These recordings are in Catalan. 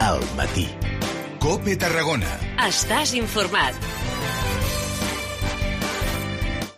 al matí. COPE Tarragona. Estàs informat.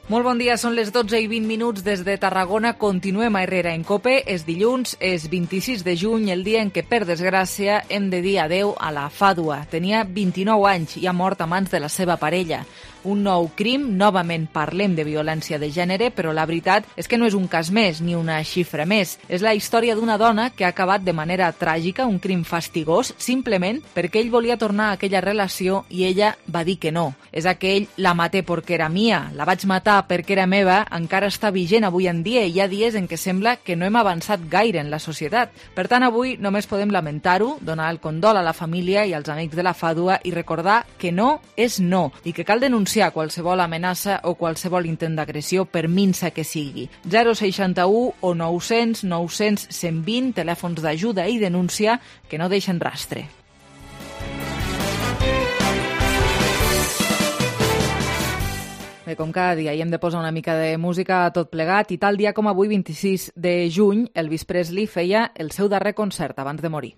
Molt bon dia, són les 12:20 des de Tarragona. Continuem a Herrera en COPE. És dilluns, és 26 de juny, el dia en què, per desgràcia, hem de dir adeu a la Fàdua. Tenia 29 anys i ha mort a mans de la seva parella. Un nou crim, novament parlem de violència de gènere, però la veritat és que no és un cas més, ni una xifra més. És la història d'una dona que ha acabat de manera tràgica, un crim fastigós, simplement perquè ell volia tornar a aquella relació i ella va dir que no. És aquell, la maté perquè era mia, la vaig matar perquè era meva, encara està vigent avui en dia i hi ha dies en què sembla que no hem avançat gaire en la societat. Per tant, avui només podem lamentar-ho, donar el condol a la família i als amics de la Fàdua i recordar que no és no i que cal denunciar qualsevol amenaça o qualsevol intent d'agressió, per minsa que sigui. 061 o 900 900 120, telèfons d'ajuda i denúncia que no deixen rastre. Bé, com cada dia, hi hem de posar una mica de música a tot plegat i tal dia com avui, 26 de juny, Elvis Presley feia el seu darrer concert abans de morir.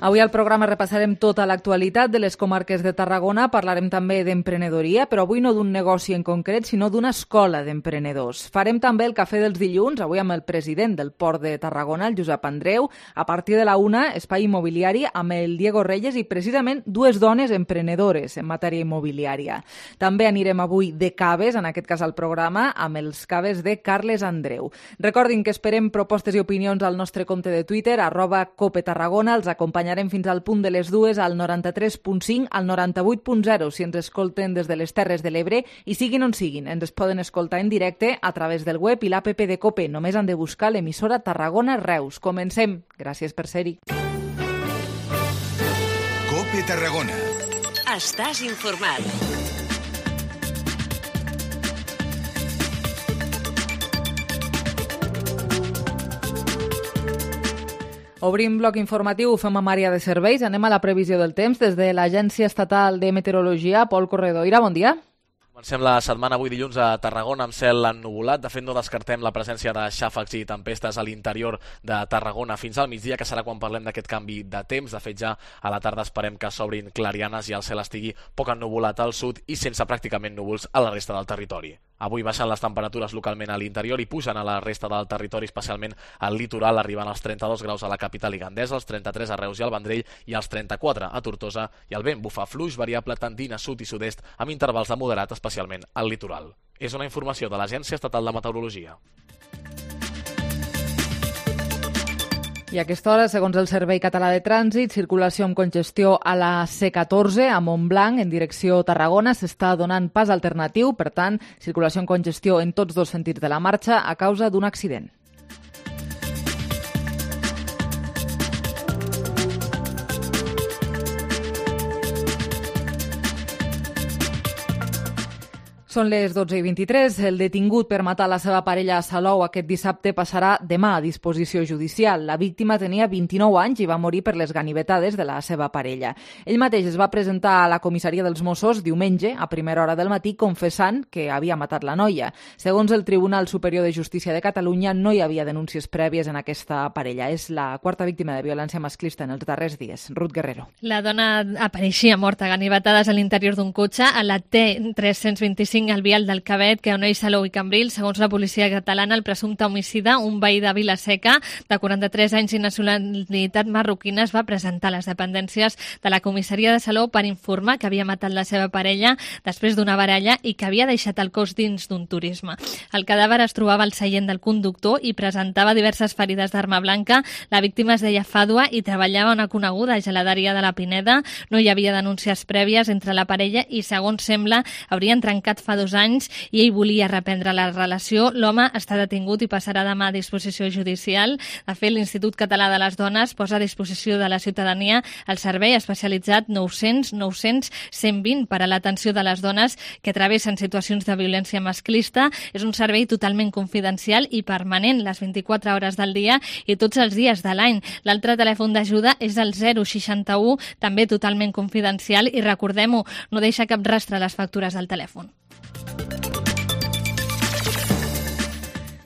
Avui al programa repassarem tota l'actualitat de les comarques de Tarragona, parlarem també d'emprenedoria, però avui no d'un negoci en concret, sinó d'una escola d'emprenedors. Farem també el cafè dels dilluns, avui amb el president del Port de Tarragona, el Josep Andreu, a partir de la 1, espai immobiliari, amb el Diego Reyes i precisament dues dones emprenedores en matèria immobiliària. També anirem avui de caves, en aquest cas al programa, amb els caves de Carles Andreu. Recordin que esperem propostes i opinions al nostre compte de Twitter, @COPETarragona, els acompanyarem fins al punt de les 2 al 93.5, al 98.0 si ens escolten des de les Terres de l'Ebre i siguin on siguin. Ens poden escoltar en directe a través del web i l'APP de COPE. Només han de buscar l'emissora Tarragona Reus. Comencem. Gràcies per ser-hi. COPE Tarragona. Estàs informat. Obrim bloc informatiu, ho fem amb àrea de serveis. Anem a la previsió del temps des de l'Agència Estatal de Meteorologia. Pol Corredoira, bon dia. Comencem la setmana avui dilluns a Tarragona amb cel ennuvolat. De fet, no descartem la presència de xàfecs i tempestes a l'interior de Tarragona fins al migdia, que serà quan parlem d'aquest canvi de temps. De fet, ja a la tarda esperem que s'obrin clarianes i el cel estigui poc ennuvolat al sud i sense pràcticament núvols a la resta del territori. Avui baixen les temperatures localment a l'interior i pugen a la resta del territori, especialment al litoral, arribant als 32 graus a la capital i Gandesa, als 33 a Reus i al Vendrell i als 34 a Tortosa, i el vent bufa fluix variable tendint a sud i sud-est amb intervals de moderat, especialment al litoral. És una informació de l'Agència Estatal de Meteorologia. I a aquesta hora, segons el Servei Català de Trànsit, circulació amb congestió a la C14 a Montblanc en direcció Tarragona. S'està donant pas alternatiu, per tant, circulació amb congestió en tots dos sentits de la marxa a causa d'un accident. Són les 12:23. El detingut per matar la seva parella a Salou aquest dissabte passarà demà a disposició judicial. La víctima tenia 29 anys i va morir per les ganivetades de la seva parella. Ell mateix es va presentar a la comissaria dels Mossos diumenge a primera hora del matí confessant que havia matat la noia. Segons el Tribunal Superior de Justícia de Catalunya, no hi havia denúncies prèvies en aquesta parella. És la quarta víctima de violència masclista en els darrers dies. Ruth Guerrero. La dona apareixia morta a ganivetades a l'interior d'un cotxe a la T325 al vial del Cabet, que uneix Salou i Cambrils. Segons la policia catalana, el presumpte homicida, un veí de Vila-seca de 43 anys i nacionalitat marroquina, es va presentar a les dependències de la comissaria de Salou per informar que havia matat la seva parella després d'una baralla i que havia deixat el cos dins d'un turisme. El cadàver es trobava al seient del conductor i presentava diverses ferides d'arma blanca. La víctima es deia Fàdua i treballava a una coneguda geladeria de la Pineda. No hi havia denúncies prèvies entre la parella i, segons sembla, haurien trencat fa fa 2 anys i ell volia reprendre la relació. L'home està detingut i passarà demà a disposició judicial. De fet, l'Institut Català de les Dones posa a disposició de la ciutadania el servei especialitzat 900-900-120 per a l'atenció de les dones que travessen situacions de violència masclista. És un servei totalment confidencial i permanent, les 24 hores del dia i tots els dies de l'any. L'altre telèfon d'ajuda és el 061, també totalment confidencial, i recordem-ho, no deixa cap rastre a les factures del telèfon.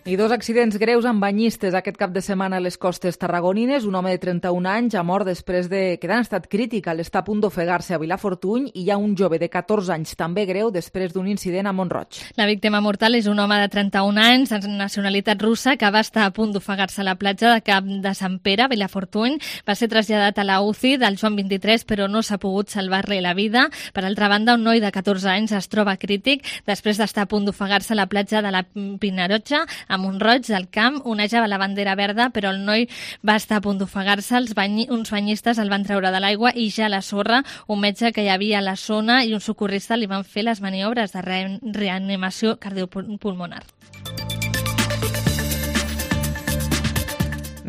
I 2 accidents greus amb banyistes aquest cap de setmana a les costes tarragonines. Un home de 31 anys ha mort després de quedar en estat crític al estar a punt d'ofegar-se a Vilafortuny, i hi ha un jove de 14 anys també greu després d'un incident a Mont-roig. La víctima mortal és un home de 31 anys de nacionalitat russa que va estar a punt d'ofegar-se a la platja de Cap de Sant Pere, a Vilafortuny. Va ser traslladat a la UCI del Joan 23, però no s'ha pogut salvar-li la vida. Per altra banda, un noi de 14 anys es troba crític després d'estar a punt d'ofegar-se a la platja de la Pinarotxa, a Mont-roig del Camp. Onejava la bandera verda, però el noi va estar a punt d'ofegar-se. Uns banyistes el van treure de l'aigua i ja a la sorra un metge que hi havia a la zona i un socorrista li van fer les maniobres de reanimació cardiopulmonar.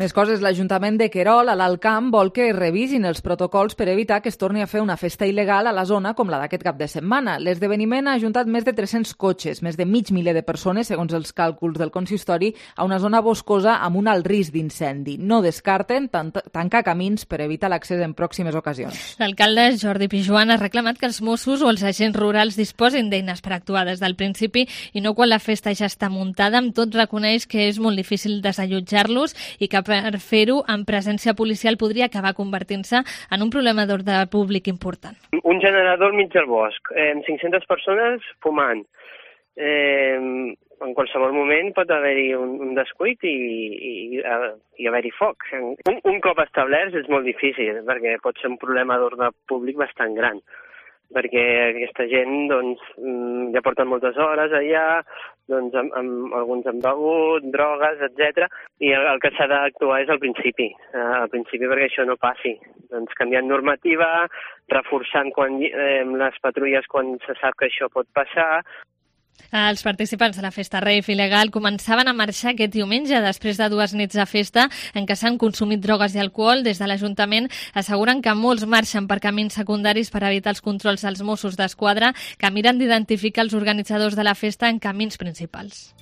Més coses, l'Ajuntament de Querol, a l'Alt Camp, vol que es revisin els protocols per evitar que es torni a fer una festa il·legal a la zona com la d'aquest cap de setmana. L'esdeveniment ha ajuntat més de 300 cotxes, més de mig miler de persones, segons els càlculs del consistori, a una zona boscosa amb un alt risc d'incendi. No descarten tancar camins per evitar l'accés en pròximes ocasions. L'alcalde Jordi Pijuan ha reclamat que els Mossos o els agents rurals disposin d'eines per actuar des del principi i no quan la festa ja està muntada. Amb tot, reconeix que és molt difícil desallotjar-los i que per fer-ho en presència policial podria acabar convertint-se en un problema d'ordre públic important. Un generador al mig del bosc, 500 persones fumant. En qualsevol moment pot haver-hi un descuit i haver-hi foc. Un cop establerts és molt difícil, perquè pot ser un problema d'ordre públic bastant gran, perquè aquesta gent ja porten moltes hores allà, alguns han begut, drogues, etc. I el que s'ha d'actuar és al principi perquè això no passi. Canviant normativa, reforçant les patrulles quan se sap que això pot passar. Els participants de la festa rave il·legal començaven a marxar aquest diumenge després de 2 nits de festa en què s'han consumit drogues i alcohol. Des de l'Ajuntament asseguren que molts marxen per camins secundaris per evitar els controls dels Mossos d'Esquadra, que miren d'identificar els organitzadors de la festa en camins principals.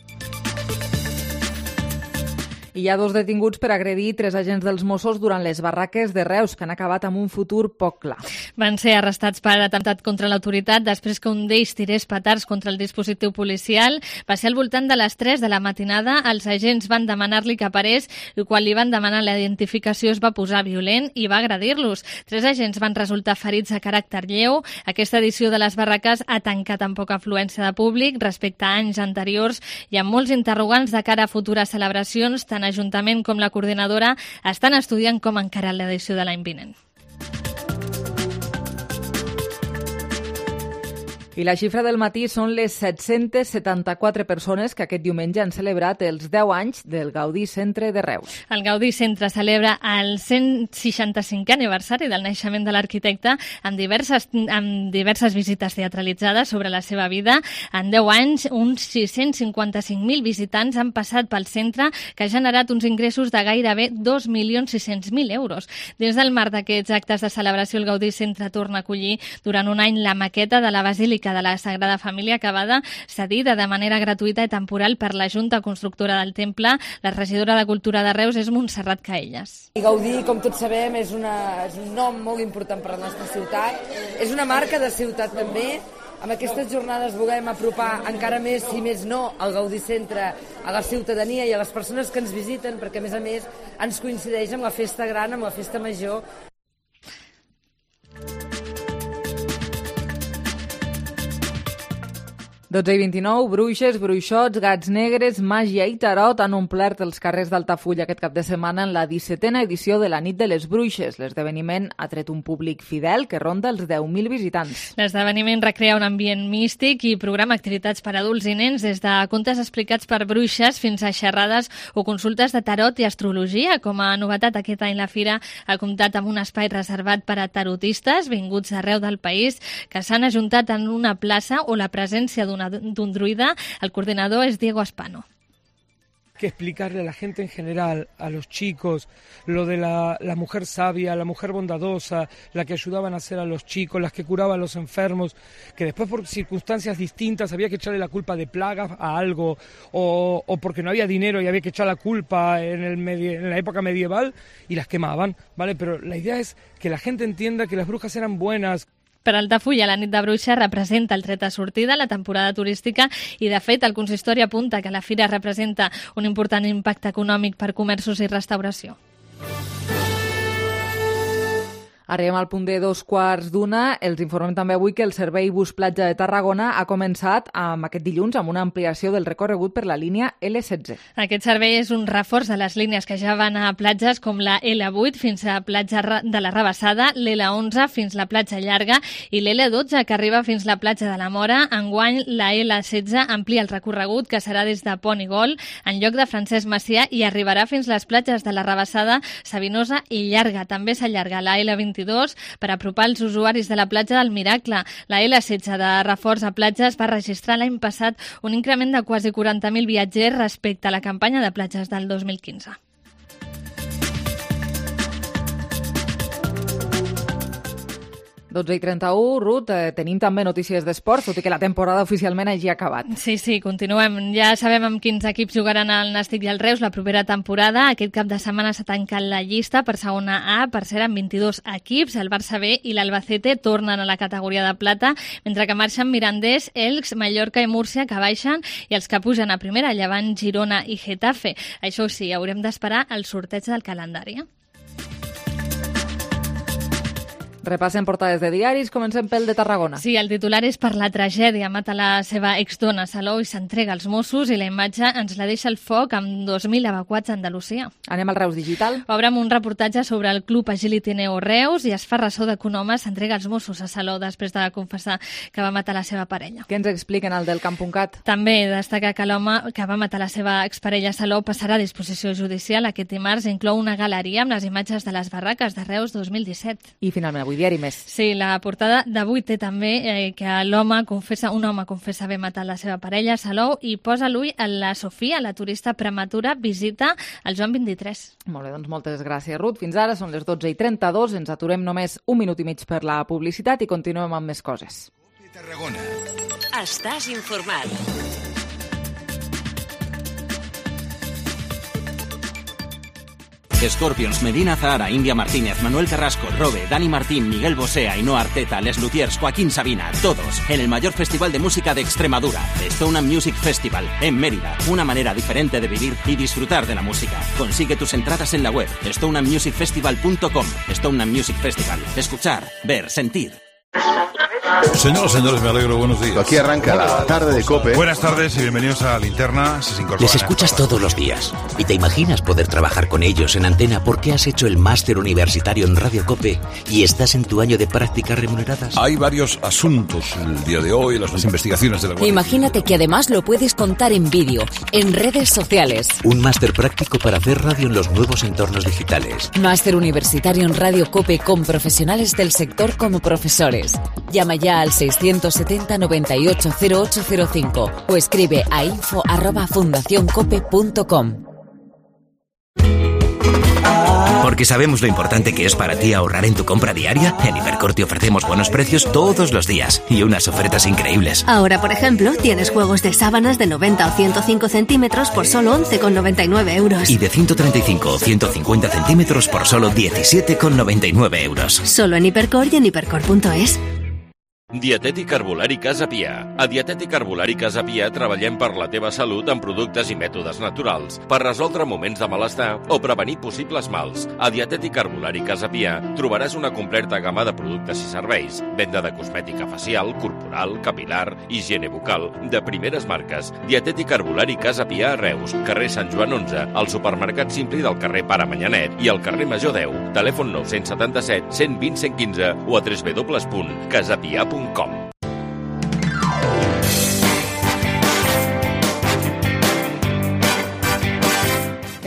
Hi ha 2 detinguts per agredir 3 agents dels Mossos durant les barraques de Reus, que han acabat amb un futur poc clar. Van ser arrestats per atemptat contra l'autoritat després que un d'ells tirés petards contra el dispositiu policial. Va ser al voltant de les 3 de la matinada. Els agents van demanar-li que parés i quan li van demanar la identificació es va posar violent i va agredir-los. 3 agents van resultar ferits de caràcter lleu. Aquesta edició de les barraques ha tancat amb poca afluència de públic respecte a anys anteriors i amb molts interrogants de cara a futures celebracions. Tant l'Ajuntament com la coordinadora estan estudiant com encarar l'edició de l'any vinent. I la xifra del matí són les 774 persones que aquest diumenge han celebrat els 10 anys del Gaudí Centre de Reus. El Gaudí Centre celebra el 165è aniversari del naixement de l'arquitecte amb diverses visites teatralitzades sobre la seva vida. En 10 anys, uns 655.000 visitants han passat pel centre, que ha generat uns ingressos de gairebé 2.600.000 euros. Dins del marc d'aquests actes de celebració, el Gaudí Centre torna a acollir durant un any la maqueta de la Basílica de la Sagrada Família, acabada cedida de manera gratuïta i temporal per la Junta Constructora del Temple. La regidora de Cultura de Reus és Montserrat Caelles. Gaudí, com tots sabem, és un nom molt important per a la nostra ciutat. És una marca de ciutat també. Amb aquestes jornades volem apropar encara més, si més no, el Gaudí Centre a la ciutadania i a les persones que ens visiten, perquè a més ens coincideix amb la festa gran, amb la festa major. Dotze i 29, bruixes, bruixots, gats negres, màgia i tarot han omplert els carrers d'Altafulla aquest cap de setmana en la 17a edició de la Nit de les Bruixes. L'esdeveniment ha tret un públic fidel que ronda els 10.000 visitants. L'esdeveniment recrea un ambient místic i programa activitats per adults i nens, des de contes explicats per bruixes fins a xerrades o consultes de tarot i astrologia. Com a novetat, aquest any la fira ha comptat amb un espai reservat per a tarotistes vinguts d'arreu del país que s'han ajuntat en una plaça o la presència d'un d'un druida. El coordinador és Diego Aspano. Que explicarle a la gente en general, a los chicos, lo de la mujer sabia, la mujer bondadosa, la que ayudaba a nacer a los chicos, las que curaba a los enfermos, que después por circunstancias distintas había que echarle la culpa de plagas a algo, o porque no había dinero y había que echar la culpa en la época medieval y las quemaban, ¿vale? Pero la idea es que la gente entienda que las brujas eran buenas. Per Altafulla, la nit de Bruixa representa el tret de sortida, la temporada turística, i de fet el consistori apunta que la fira representa un important impacte econòmic per comerços i restauració. Arribem al punt de 2:15. Els informem també avui que el servei Bus Platja de Tarragona ha començat aquest dilluns amb una ampliació del recorregut per la línia L16. Aquest servei és un reforç de les línies que ja van a platges com la L8 fins a platja de la Rabassada, l'L11 fins la platja Llarga i l'L12 que arriba fins la platja de la Mora. Enguany, la L16 amplia el recorregut que serà des de Pont i Gol en lloc de Francesc Macià i arribarà fins les platges de la Rabassada, Sabinosa i Llarga. També s'allarga la L22 per apropar els usuaris de la platja del Miracle. La L16 de reforç a platges va registrar l'any passat un increment de quasi 40.000 viatgers respecte a la campanya de platges del 2015. – 12:31, Ruth, tenim també notícies d'esport, tot i que la temporada oficialment hagi acabat. Sí, continuem. Ja sabem amb quins equips jugaran el Nàstic i el Reus la propera temporada. Aquest cap de setmana s'ha tancat la llista per segona A, per ser amb 22 equips. El Barça B i l'Albacete tornen a la categoria de plata, mentre que marxen Mirandés, Elx, Mallorca i Múrcia, que baixen, i els que pugen a primera, Llevant, Girona i Getafe. Això sí, haurem d'esperar el sorteig del calendari. Repassem portades de diaris, comencem pel de Tarragona. Sí, el titular és per la tragèdia. Mata la seva exdona Salou i s'entrega als Mossos i la imatge ens la deixa el foc amb 2.000 evacuats a Andalusia. Anem al Reus Digital. Obrem un reportatge sobre el club Agility Neo Reus i es fa ressò de que un home s'entrega als Mossos a Salou després de confessar que va matar la seva parella. Què ens expliquen al del Camp.cat? També destaca que l'home que va matar la seva exparella Salou passarà a disposició judicial aquest dimarts i inclou una galeria amb les imatges de les barraques de Reus 2017. I finalment avui diari Més. Sí, la portada d'avui té també que un home confessa haver matat la seva parella, Salou, i posa l'ull en la Sofia, la turista prematura, visita el Joan 23. Molt bé, doncs moltes gràcies, Ruth. Fins ara són les 12:32, ens aturem només un minut i mig per la publicitat i continuem amb més coses. Tarragona. Estàs informat. Scorpions, Medina Zahara, India Martínez, Manuel Carrasco, Robe, Dani Martín, Miguel Bosé, Ainhoa Arteta, Les Luthiers, Joaquín Sabina, todos en el mayor festival de música de Extremadura, Stone Music Festival, en Mérida. Una manera diferente de vivir y disfrutar de la música. Consigue tus entradas en la web stonemusicfestival.com. Stone Music Festival. Escuchar, ver, sentir. Señores, me alegro, buenos días. Aquí arranca la tarde de COPE. Buenas tardes y bienvenidos a Linterna. Les escuchas todos los días y te imaginas poder trabajar con ellos en antena porque has hecho el máster universitario en Radio COPE y estás en tu año de prácticas remuneradas. Hay varios asuntos el día de hoy, las investigaciones de la Guardia. Imagínate que además lo puedes contar en vídeo, en redes sociales. Un máster práctico para hacer radio en los nuevos entornos digitales. Máster universitario en Radio COPE con profesionales del sector como profesores. Llama ya al 670 98 0805 o escribe a info@fundacioncope.com. Porque sabemos lo importante que es para ti ahorrar en tu compra diaria. En Hipercor te ofrecemos buenos precios todos los días y unas ofertas increíbles. Ahora, por ejemplo, tienes juegos de sábanas de 90 o 105 centímetros por solo 11,99 euros. Y de 135 o 150 centímetros por solo 17,99 euros. Solo en Hipercor y en hipercor.es. Dietètic Herbolari Casa Pia. A Dietètic Herbolari Casa Pia treballem per la teva salut amb productes i mètodes naturals, per resoldre moments de malestar o prevenir possibles mals. A Dietètic Herbolari Casa Pia trobaràs una completa gamma de productes i serveis, venda de cosmètica facial, corporal, capilar, higiene bucal, de primeres marques. Dietètic Herbolari Casa Pia a Reus, carrer Sant Joan 11, al supermercat Simpli del carrer Pare Manyanet i al carrer Major 10, telèfon 977 120 115 o a www.casapia.com.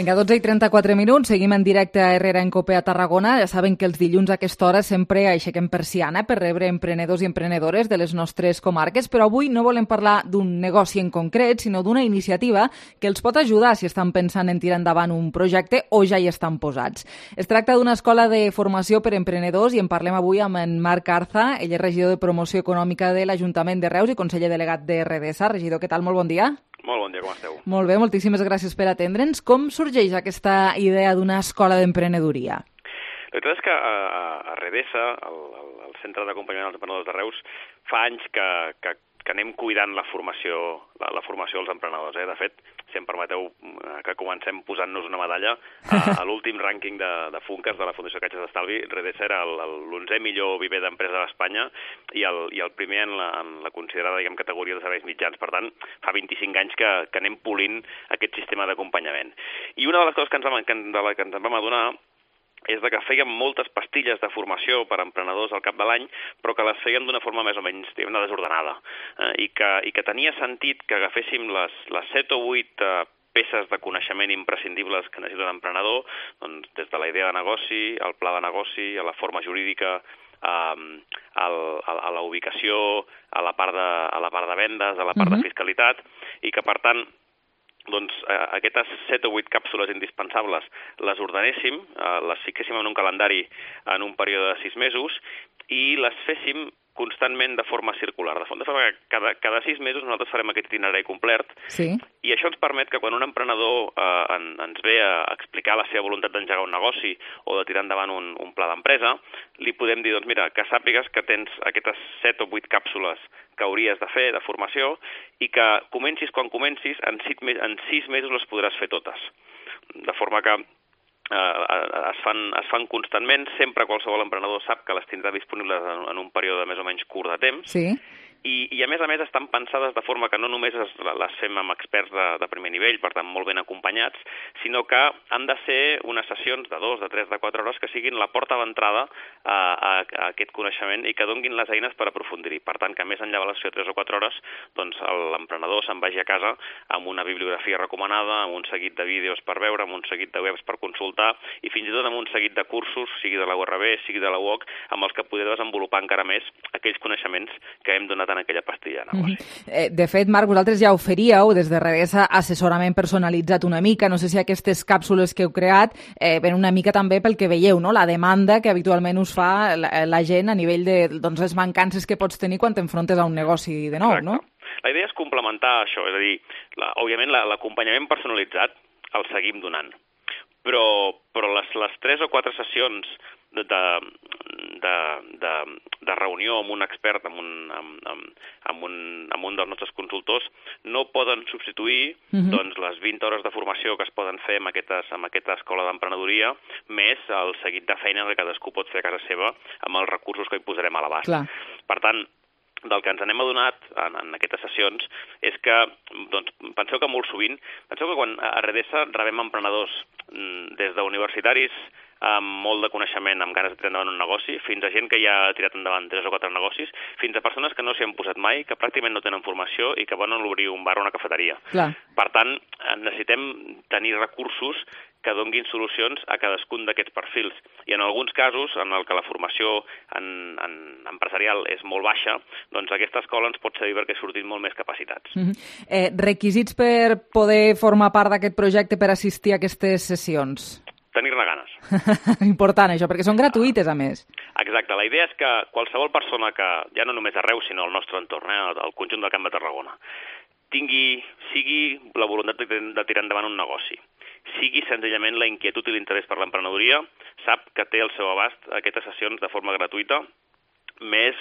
Vinga, 12:34, seguim en directe a Herrera en Cope a Tarragona. Ja saben que els dilluns a aquesta hora sempre aixequem persiana per rebre emprenedors i emprenedores de les nostres comarques, però avui no volem parlar d'un negoci en concret, sinó d'una iniciativa que els pot ajudar si estan pensant en tirar endavant un projecte o ja hi estan posats. Es tracta d'una escola de formació per emprenedors i en parlem avui amb en Marc Arza. Ell és regidor de Promoció Econòmica de l'Ajuntament de Reus i conseller delegat de Redesa. Regidor, què tal? Molt bon dia. Molt bon dia, com esteu? Molt bé, moltíssimes gràcies per atendre'ns. Com sorgeix aquesta idea d'una escola d'emprenedoria? La veritat és que a Redesa, el Centre d'Acompanyament dels Emprenedors de Reus, fa anys que anem cuidant la formació dels emprenedors. De fet, si em permeteu que comencem posant-nos una medalla, a l'últim rànquing de Funkers de la Fundació Caixes d'Estalvi, Redesa era l'11è millor viver d'empresa d'Espanya i el primer en la considerada categoria de serveis mitjans. Per tant, fa 25 anys que anem polint aquest sistema d'acompanyament. I una de les coses que ens vam adonar és que fèiem moltes pastilles de formació per a emprenedors al cap de l'any, però que les fèiem d'una forma més o menys desordenada. I que tenia sentit que agaféssim les 7 o 8 peces de coneixement imprescindibles que necessita un emprenedor, doncs, des de la idea de negoci, al pla de negoci, a la forma jurídica, a la ubicació, a la part de vendes, a la part de fiscalitat, i que, per tant, doncs aquestes 7 o 8 càpsules indispensables les ordenéssim, les fiquéssim en un calendari en un període de 6 mesos i les féssim constantment de forma circular. De forma que cada 6 mesos nosaltres farem aquest itinerari complet, i això ens permet que quan un emprenedor ens ve a explicar la seva voluntat d'engegar un negoci o de tirar endavant un pla d'empresa, li podem dir, doncs mira, que sàpigues que tens aquestes 7 o 8 càpsules que hauries de fer de formació i que comencis quan comencis, en 6 mesos les podràs fer totes. De forma que es fan constantment, sempre qualsevol emprenedor sap que les tindrà disponibles en un període més o menys curt de temps. Sí. I a més estan pensades de forma que no només les fem amb experts de primer nivell, per tant molt ben acompanyats, sinó que han de ser unes sessions de 2, de 3, de 4 hores que siguin la porta d'entrada a aquest coneixement i que donguin les eines per aprofundir-hi. Per tant, que més enllà de la sessió de 3 o 4 hores, doncs l'emprenedor se'n vagi a casa amb una bibliografia recomanada, amb un seguit de vídeos per veure, amb un seguit de webs per consultar i fins i tot amb un seguit de cursos, sigui de la URB, sigui de la UOC, amb els que poder desenvolupar encara més aquells coneixements que hem donat en aquella pastilla de negoci. De fet, Marc, vosaltres ja oferíeu des de Redesa assessorament personalitzat una mica. No sé si aquestes càpsules que heu creat ven una mica també pel que veieu, no? La demanda que habitualment us fa la gent a nivell de les mancances que pots tenir quan t'enfrontes a un negoci de nou, no? La idea és complementar això, és a dir, òbviament l'acompanyament personalitzat el seguim donant, però les 3 o 4 sessions de reunió amb un expert, amb un dels nostres consultors, no poden substituir doncs, les 20 hores de formació que es poden fer en aquesta escola d'emprenedoria, més el seguit de feina que cadascú pot fer a casa seva amb els recursos que hi posarem a l'abast. Per tant, del que ens n'hem adonat en aquestes sessions és que, doncs, penseu que quan a Redesa rebem emprenedors des d'universitaris amb molt de coneixement, amb ganes de tirar endavant un negoci, fins a gent que ja ha tirat endavant 3 o 4 negocis, fins a persones que no s'hi han posat mai, que pràcticament no tenen formació i que volen obrir un bar o una cafeteria. Per tant, necessitem tenir recursos que donguin solucions a cadascun d'aquests perfils. I en alguns casos, en el que la formació empresarial és molt baixa, doncs aquesta escola ens pot servir perquè sortim molt més capacitats. Requisits per poder formar part d'aquest projecte per assistir a aquestes sessions? Tenir-ne ganes. Important això, perquè són gratuïtes, a més. Exacte. La idea és que qualsevol persona que, ja no només a Reus, sinó al nostre entorn, al conjunt del Camp de Tarragona, sigui la voluntat de tirar endavant un negoci, sigui senzillament la inquietud i l'interès per l'emprenedoria, sap que té al seu abast aquestes sessions de forma gratuïta, més,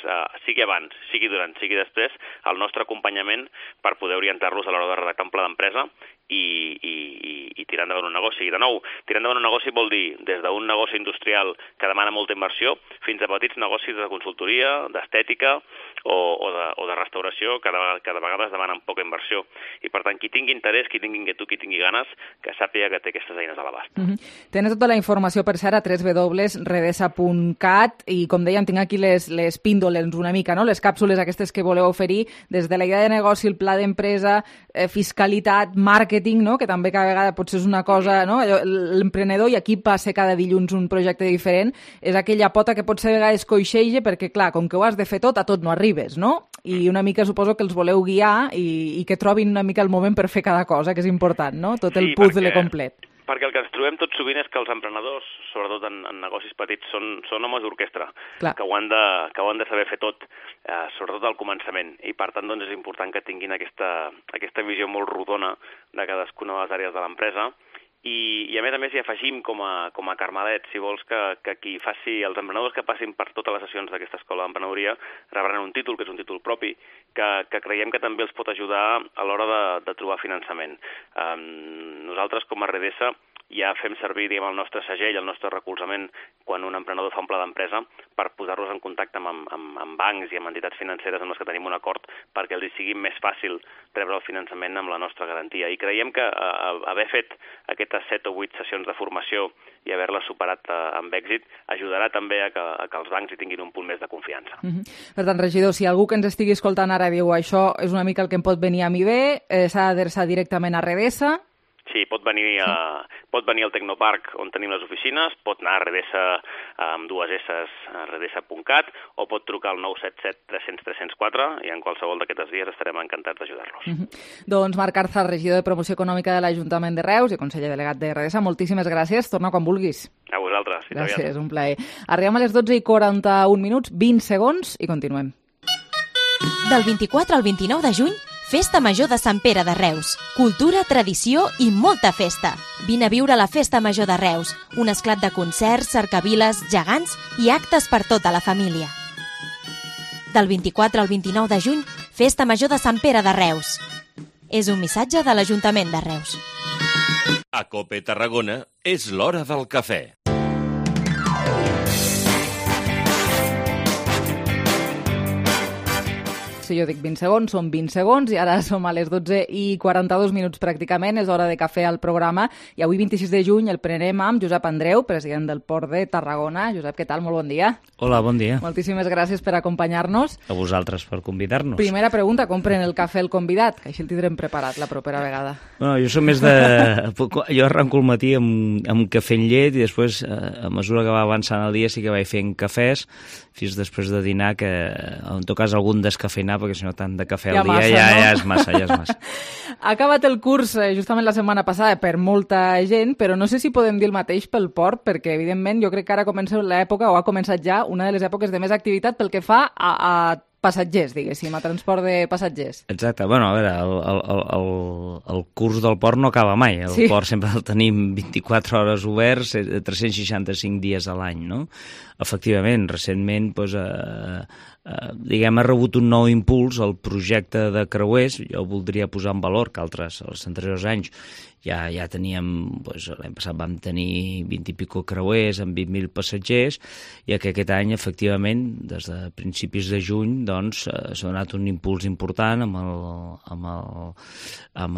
sigui abans, sigui durant, sigui després, el nostre acompanyament per poder orientar-los a l'hora de redactar un pla d'empresa i tirar endavant un negoci. I de nou, tirar endavant un negoci vol dir des d'un negoci industrial que demana molta inversió fins a petits negocis de consultoria, d'estètica o de restauració que de vegades demanen poca inversió. I per tant, qui tingui interès, qui tingui inquietud, qui tingui ganes, que sàpiga que té aquestes eines a l'abast. Tenen tota la informació, per cert, a www.redesa.cat i, com dèiem, tinc aquí les píndoles una mica, no? Les càpsules aquestes que voleu oferir, des de la idea de negoci, el pla d'empresa, fiscalitat, màrqueting, no? Que també cada vegada potser és una cosa, no? L'emprenedor, i aquí passa cada dilluns un projecte diferent, és aquella pota que potser a vegades coixeja perquè, clar, com que ho has de fer tot, a tot no arribes, no? I una mica suposo que els voleu guiar i que trobin una mica el moment per fer cada cosa, que és important, no? Tot el puzzle complet. Perquè el que ens trobem tot sovint és que els emprenedors, sobretot en negocis petits, són homes d'orquestra, que ho han de saber fer tot, sobretot al començament. I per tant doncs, és important que tinguin aquesta visió molt rodona de cadascuna de les àrees de l'empresa. I a més hi afegim com a carmelet, si vols, que qui faci, els emprenedors que passin per totes les sessions d'aquesta escola d'emprenedoria rebran un títol, que és un títol propi, que creiem que també els pot ajudar a l'hora de trobar finançament. Nosaltres, com a Redesa, ja fem servir, diguem, el nostre segell, el nostre recolzament, quan un emprenedor fa un pla d'empresa, per posar-los en contacte amb bancs i amb entitats financeres amb les que tenim un acord, perquè els sigui més fàcil rebre el finançament amb la nostra garantia. I creiem que haver fet aquestes 7 o 8 sessions de formació i haver-les superat amb èxit ajudarà també a que els bancs hi tinguin un punt més de confiança. Per tant, regidor, si algú que ens estigui escoltant ara diu això és una mica el que em pot venir a mi bé, s'ha d'adreçar directament a Redesa. Sí, pot venir al Tecnoparc on tenim les oficines, pot anar a Redesa amb 2 S, a redesa.cat, o pot trucar al 977 300 304 i en qualsevol d'aquests dies estarem encantats d'ajudar-los. Doncs Marc Arzar, regidor de Promoció Econòmica de l'Ajuntament de Reus i conseller delegat de Redesa, moltíssimes gràcies. Torna quan vulguis. A vosaltres. Gràcies, un plaer. Arribem a les 12:41, 20 segons i continuem. Del 24 al 29 de juny, Festa Major de Sant Pere de Reus. Cultura, tradició i molta festa. Vine a viure la Festa Major de Reus, un esclat de concerts, cercaviles, gegants i actes per tota la família. Del 24 al 29 de juny, Festa Major de Sant Pere de Reus. És un missatge de l'Ajuntament de Reus. A COPE Tarragona és l'hora del cafè. Si jo dic 20 segons, són 20 segons i ara som a les 12:42 pràcticament, és hora de cafè al programa i avui 26 de juny el prenem amb Josep Andreu, president del Port de Tarragona. Josep, què tal? Molt bon dia. Hola, bon dia. Moltíssimes gràcies per acompanyar-nos. A vosaltres per convidar-nos. Primera pregunta, com pren el cafè el convidat? Que així el tindrem preparat la propera vegada. Bueno, jo soc més de... Jo arranco el matí amb cafè en llet i després, a mesura que va avançant el dia, sí que vaig fent cafès fins després de dinar, que en tot cas algun descafeinar, perquè si no tant de cafè al dia ja és massa. Ha acabat el curs justament la setmana passada per molta gent, però no sé si podem dir el mateix pel port, perquè evidentment jo crec que ara comença l'època, o ha començat ja, una de les èpoques de més activitat pel que fa a passatgers, diguéssim, a transport de passatgers. Exacte. Bueno, a veure, el curs del port no acaba mai. El port sempre el tenim 24 hores oberts, 365 dies a l'any, no? Efectivament, recentment, doncs, ha rebut un nou impuls el projecte de creuers. Jo voldria posar en valor que els anteriors anys ja teníem, l'any passat vam tenir 20 i pico creuers amb 20.000 passatgers i que aquest any, efectivament, des de principis de juny, doncs, s'ha donat un impuls important amb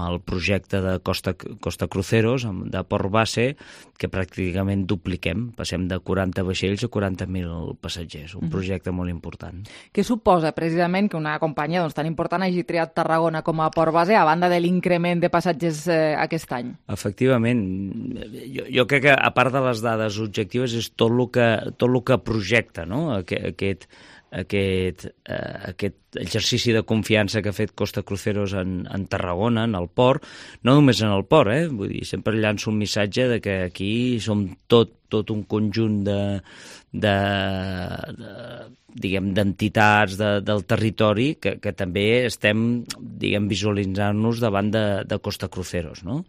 el projecte de Costa Cruceros, de Port Base, que pràcticament dupliquem, passem de 40 vaixells a 40.000 passatgers, un projecte molt important. Què suposa precisament que una companyia tan important hagi triat Tarragona com a Port Base a banda de l'increment de passatgers aquest any? Efectivament. Jo crec que, a part de les dades objectives, és tot el que projecta, no? Aquest exercici de confiança que ha fet Costa Cruceros en Tarragona, en el port, no només en el port, vull dir, sempre llanço un missatge de que aquí som tot un conjunt d'entitats del territori que també estem, visualitzant-nos davant de Costa Cruceros, no?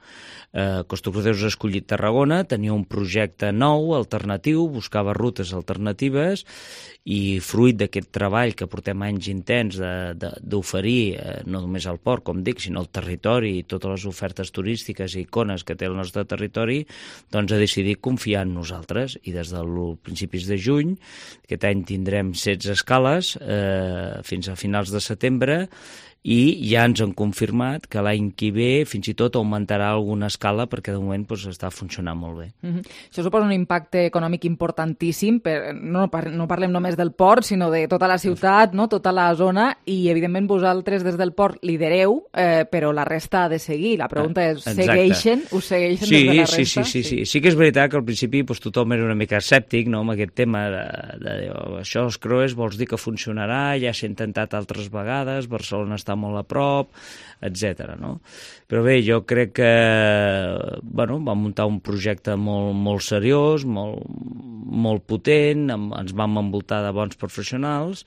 Costa Cruceros ha escollit Tarragona, tenia un projecte nou, alternatiu, buscava rutes alternatives i fruit d'aquest treball que portem anys intens d'oferir no només al port, com dic, sinó al territori i totes les ofertes turístiques i icones que té el nostre territori, doncs ha decidit confiar en nosaltres i des dels principis de juny, aquest any tindrem 16 escales fins a finals de setembre i ja ens han confirmat que l'any que ve fins i tot augmentarà alguna escala perquè de moment està funcionant molt bé. Això suposa un impacte econòmic importantíssim, no parlem només del port, sinó de tota la ciutat, no? Tota la zona, i evidentment vosaltres des del port lidereu, però la resta ha de seguir. La pregunta és, us segueixen des de la resta? Sí que és veritat que al principi tothom era una mica escèptic, no?, amb aquest tema de això, els creuers, vols dir que funcionarà, ja s'ha intentat altres vegades, Barcelona està molt a prop, etc. No? Però bé, jo crec que vam muntar un projecte molt seriós, molt potent, ens vam envoltar de bons professionals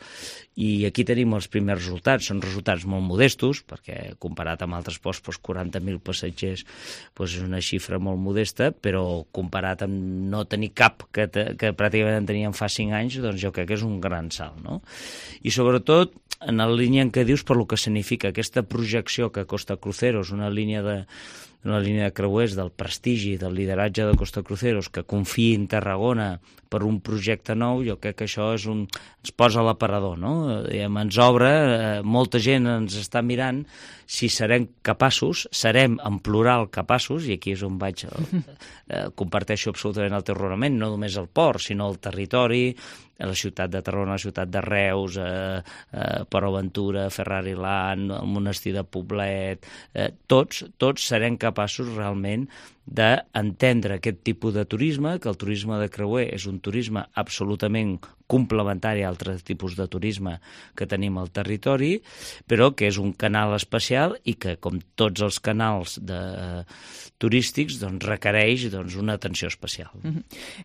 i aquí tenim els primers resultats. Són resultats molt modestos, perquè comparat amb altres ports, 40.000 passatgers és una xifra molt modesta, però comparat amb no tenir cap, que pràcticament en teníem fa 5 anys, doncs jo crec que és un gran salt. No? I sobretot, en la línia en què dius per lo que significa aquesta projecció que Costa Cruceros, una línia de creuers del prestigi, del lideratge de Costa Cruceros, que confiï en Tarragona per un projecte nou, jo crec que això ens posa a l'aparador, no? Ens obre, molta gent ens està mirant si serem en plural capaços, i aquí és on comparteixo absolutament el teu raonament, no només el port, sinó el territori, la ciutat de Tarragona, la ciutat de Reus, Port Aventura, Ferrari Land, el monestir de Poblet, tots serem capaços realment d'entendre aquest tipus de turisme, que el turisme de creuer és un turisme absolutament complementari a altres tipus de turisme que tenim al territori, però que és un canal especial i que, com tots els canals turístics, requereix una atenció especial.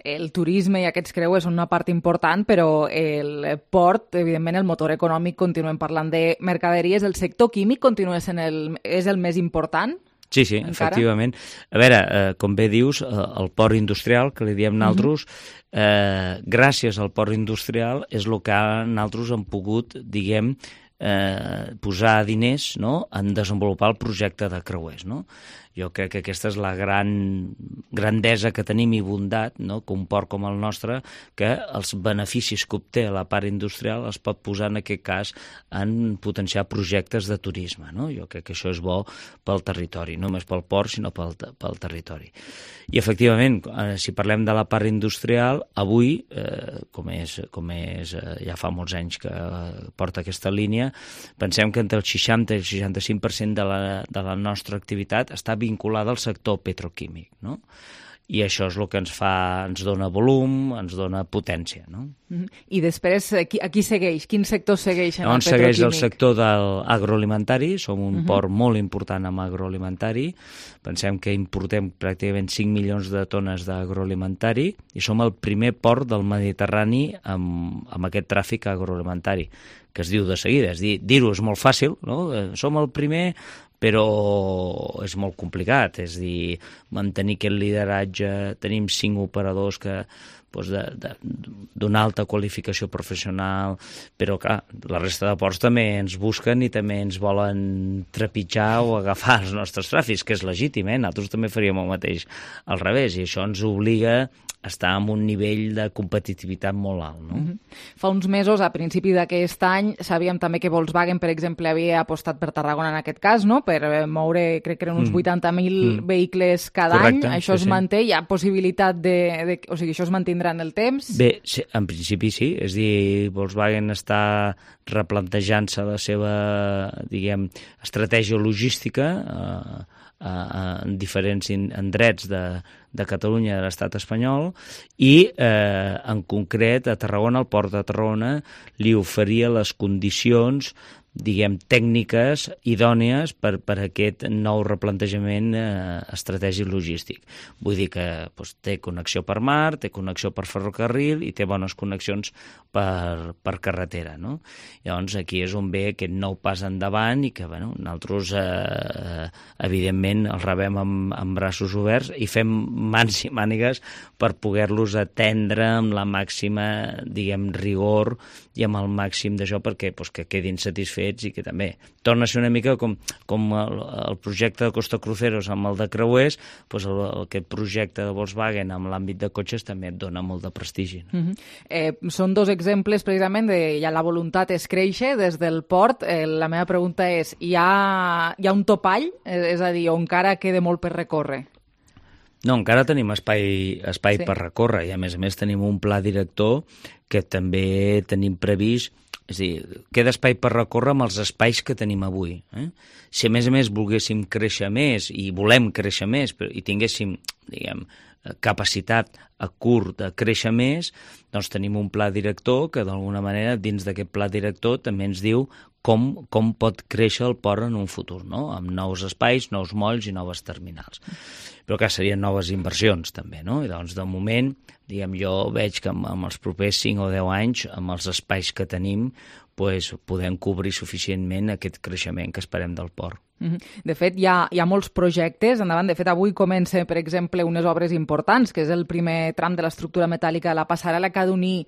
El turisme i aquests creuers són una part important, però el port, evidentment, el motor econòmic, continuem parlant de mercaderies, el sector químic continua sent és el més important? Sí, efectivament. A veure, com bé dius, el port industrial, que li diem nosaltres, gràcies al port industrial és el que nosaltres hem pogut, diguem, posar diners en desenvolupar el projecte de creuers. Jo crec que aquesta és la grandesa que tenim i bondat, que un port com el nostre, que els beneficis que obté a la part industrial es pot posar en aquest cas en potenciar projectes de turisme. Jo crec que això és bo pel territori, no només pel port, sinó pel territori. I efectivament, si parlem de la part industrial, avui, com és ja fa molts anys que porta aquesta línia, pensem que entre el 60 i el 65% de la nostra activitat està vinculada al sector petroquímic, no? I això és el que ens dona volum, ens dona potència, no? I després, qui segueix? Quin sector segueix en el petroquímic? Segueix el sector de l'agroalimentari, som un port molt important en agroalimentari, pensem que importem pràcticament 5 milions de tones d'agroalimentari i som el primer port del Mediterrani amb aquest tràfic agroalimentari, que es diu de seguida, dir-ho és molt fàcil, no? Som el primer, però és molt complicat, és a dir, mantenir aquest lideratge, tenim 5 operadors que d'una alta qualificació professional, però clar, la resta de ports també ens busquen i també ens volen trepitjar o agafar els nostres tràfics, que és legítim, nosaltres també faríem el mateix al revés, i això ens obliga a estar en un nivell de competitivitat molt alt. No? Fa uns mesos, a principi d'aquest any, sabíem també que Volkswagen, per exemple, havia apostat per Tarragona en aquest cas, no? Per moure, crec que eren uns 80.000 vehicles cada any. Això es manté? Hi ha possibilitat o sigui, això es mantindrà en el temps? Bé, en principi sí. És a dir, Volkswagen està replantejant-se la seva, diguem, estratègia logística en diferents indrets de Catalunya i de l'estat espanyol i en concret a Tarragona, el port de Tarragona li oferia les condicions, diguem, tècniques idònies per aquest nou replantejament estratègic logístic. Vull dir que té connexió per mar, té connexió per ferrocarril i té bones connexions per carretera. No? Llavors aquí és on ve aquest nou pas endavant i que nosaltres evidentment el rebem amb braços oberts i fem mans i mànigues per poder-los atendre amb la màxima, diguem, rigor i amb el màxim d'això perquè que quedin satisfets fets i que també torna a ser una mica com el projecte de Costa Cruceros amb el de creuers, doncs aquest projecte de Volkswagen amb l'àmbit de cotxes també et dona molt de prestigi. Són dos exemples precisament de ja la voluntat és créixer des del port. La meva pregunta és, hi ha un topall? És a dir, o encara queda molt per recórrer? No, encara tenim espai sí, per recórrer, i a més tenim un pla director que també tenim previst. És a dir, queda espai per recórrer amb els espais que tenim avui. Si a més volguéssim créixer més i volem créixer més i tinguéssim, diguem, capacitat a curt de créixer més, doncs tenim un pla director que d'alguna manera dins d'aquest pla director també ens diu com pot créixer el port en un futur, no? Amb nous espais, nous molls i noves terminals. Però que serien noves inversions també, no? I doncs de moment, diguem, jo veig que amb els propers 5 o 10 anys, amb els espais que tenim, podem cobrir suficientment aquest creixement que esperem del port. De fet, hi ha molts projectes endavant. De fet, avui comença, per exemple, unes obres importants, que és el primer tram de l'estructura metàl·lica de la passarel·la que ha d'unir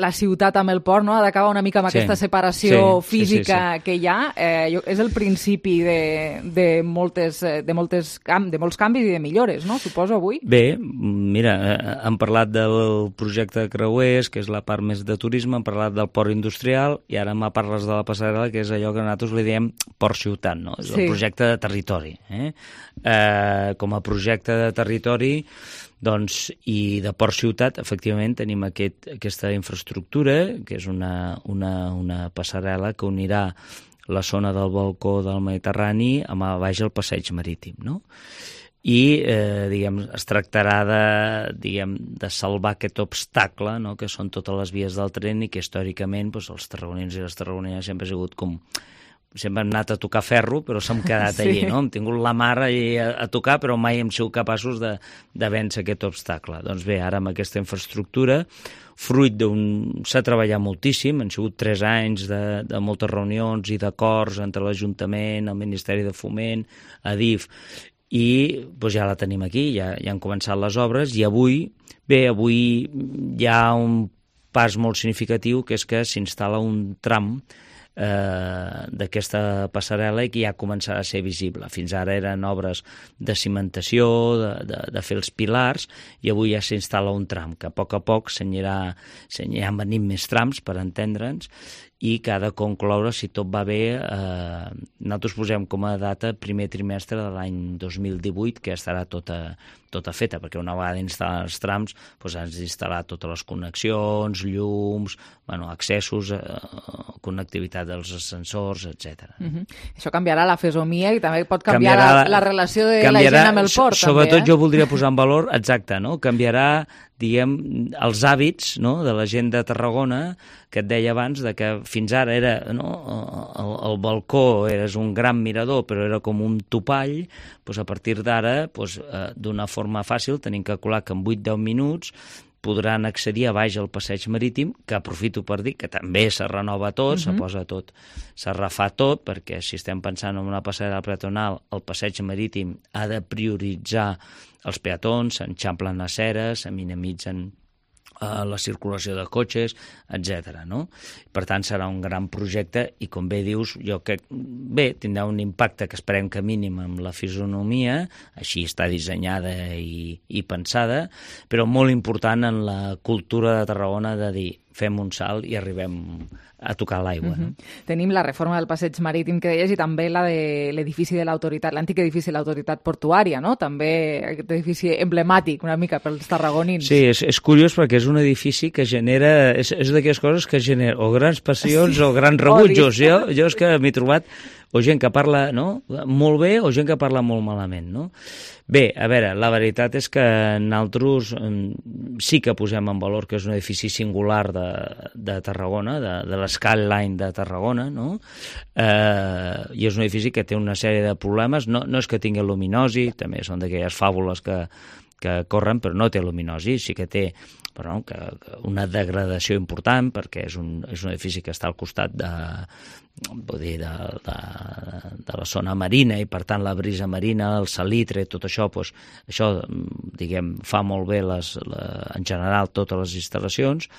la ciutat amb el port, no? Ha d'acabar una mica amb aquesta separació física que hi ha. És el principi de molts canvis i de millores, no? Suposo, avui. Bé, mira, hem parlat del projecte de creuers, que és la part més de turisme, hem parlat del port industrial, i ara me parles de la passarel·la, que és allò que nosaltres li diem port-ciutat, no? És el projecte de territori. Com a projecte de territori, doncs, i de port-ciutat, efectivament, tenim aquesta infraestructura, que és una passarel·la que unirà la zona del balcó del Mediterrani amb a baix el passeig marítim, no? I, diguem, es tractarà de salvar aquest obstacle, no?, que són totes les vies del tren i que històricament els tarragonins i les tarragonines sempre ha sigut com... Sempre hem anat a tocar ferro, però s'hem quedat allí, no? Hem tingut la mar allí a tocar, però mai hem sigut capaços de vèncer aquest obstacle. Doncs bé, ara amb aquesta infraestructura, fruit s'ha treballat moltíssim, han sigut 3 anys de moltes reunions i d'acords entre l'Ajuntament, el Ministeri de Foment, Adif, i ja la tenim aquí, ja han començat les obres, i avui hi ha un pas molt significatiu, que és que s'instal·la un tram d'aquesta passarel·la i que ja començarà a ser visible. Fins ara eren obres de cimentació, de fer els pilars, i avui ja s'instal·la un tram, que a poc s'aniran venint més trams, per entendre'ns, i que ha de concloure, si tot va bé, nosaltres posem com a data primer trimestre de l'any 2018, que estarà tota feta, perquè una vegada instal·lar els trams has d'instal·lar totes les connexions, llums, accessos, connectivitat dels ascensors, etc. Això canviarà la fesomia i també pot canviar la relació de la gent amb el port. Sobretot jo voldria posar en valor, exacte, canviarà, diguem, els hàbits de la gent de Tarragona, que et deia abans que fins ara era el balcó és un gran mirador, però era com un topall. A partir d'ara, d'una forma fàcil, tenim calculat que en 8-10 minuts podran accedir a baix al passeig marítim, que aprofito per dir que també se renova tot, se posa tot, se refà tot, perquè si estem pensant en una passarel·la peatonal, el passeig marítim ha de prioritzar els peatons, s'enxamplen aceres, se minimitzen la circulació de cotxes, etc. Per tant, serà un gran projecte i, com bé dius, jo crec bé, tindrà un impacte que esperem que mínim amb la fisonomia, així està dissenyada i pensada, però molt important en la cultura de Tarragona de dir fem un salt i arribem a tocar l'aigua. Tenim la reforma del passeig marítim que deies i també la de l'edifici de l'autoritat, l'antic edifici de l'autoritat portuària, no? També aquest edifici emblemàtic una mica pels tarragonins. Sí, és curiós perquè és un edifici que genera, és d'aquelles coses que genera o grans passions o grans rebutjos. Jo és que m'he trobat o gent que parla molt bé o gent que parla molt malament, no? Bé, a veure, la veritat és que nosaltres sí que posem en valor que és un edifici singular de Tarragona, de l'Skyline de Tarragona, no? I és un edifici que té una sèrie de problemes, no és que tingui luminosi, també són d'aquelles fàbules que corren, però no té luminosi, sí que té però una degradació important, perquè és un edifici que està al costat de la zona marina, i per tant la brisa marina, el salitre, tot això, doncs, això, diguem, fa molt bé en general totes les instal·lacions,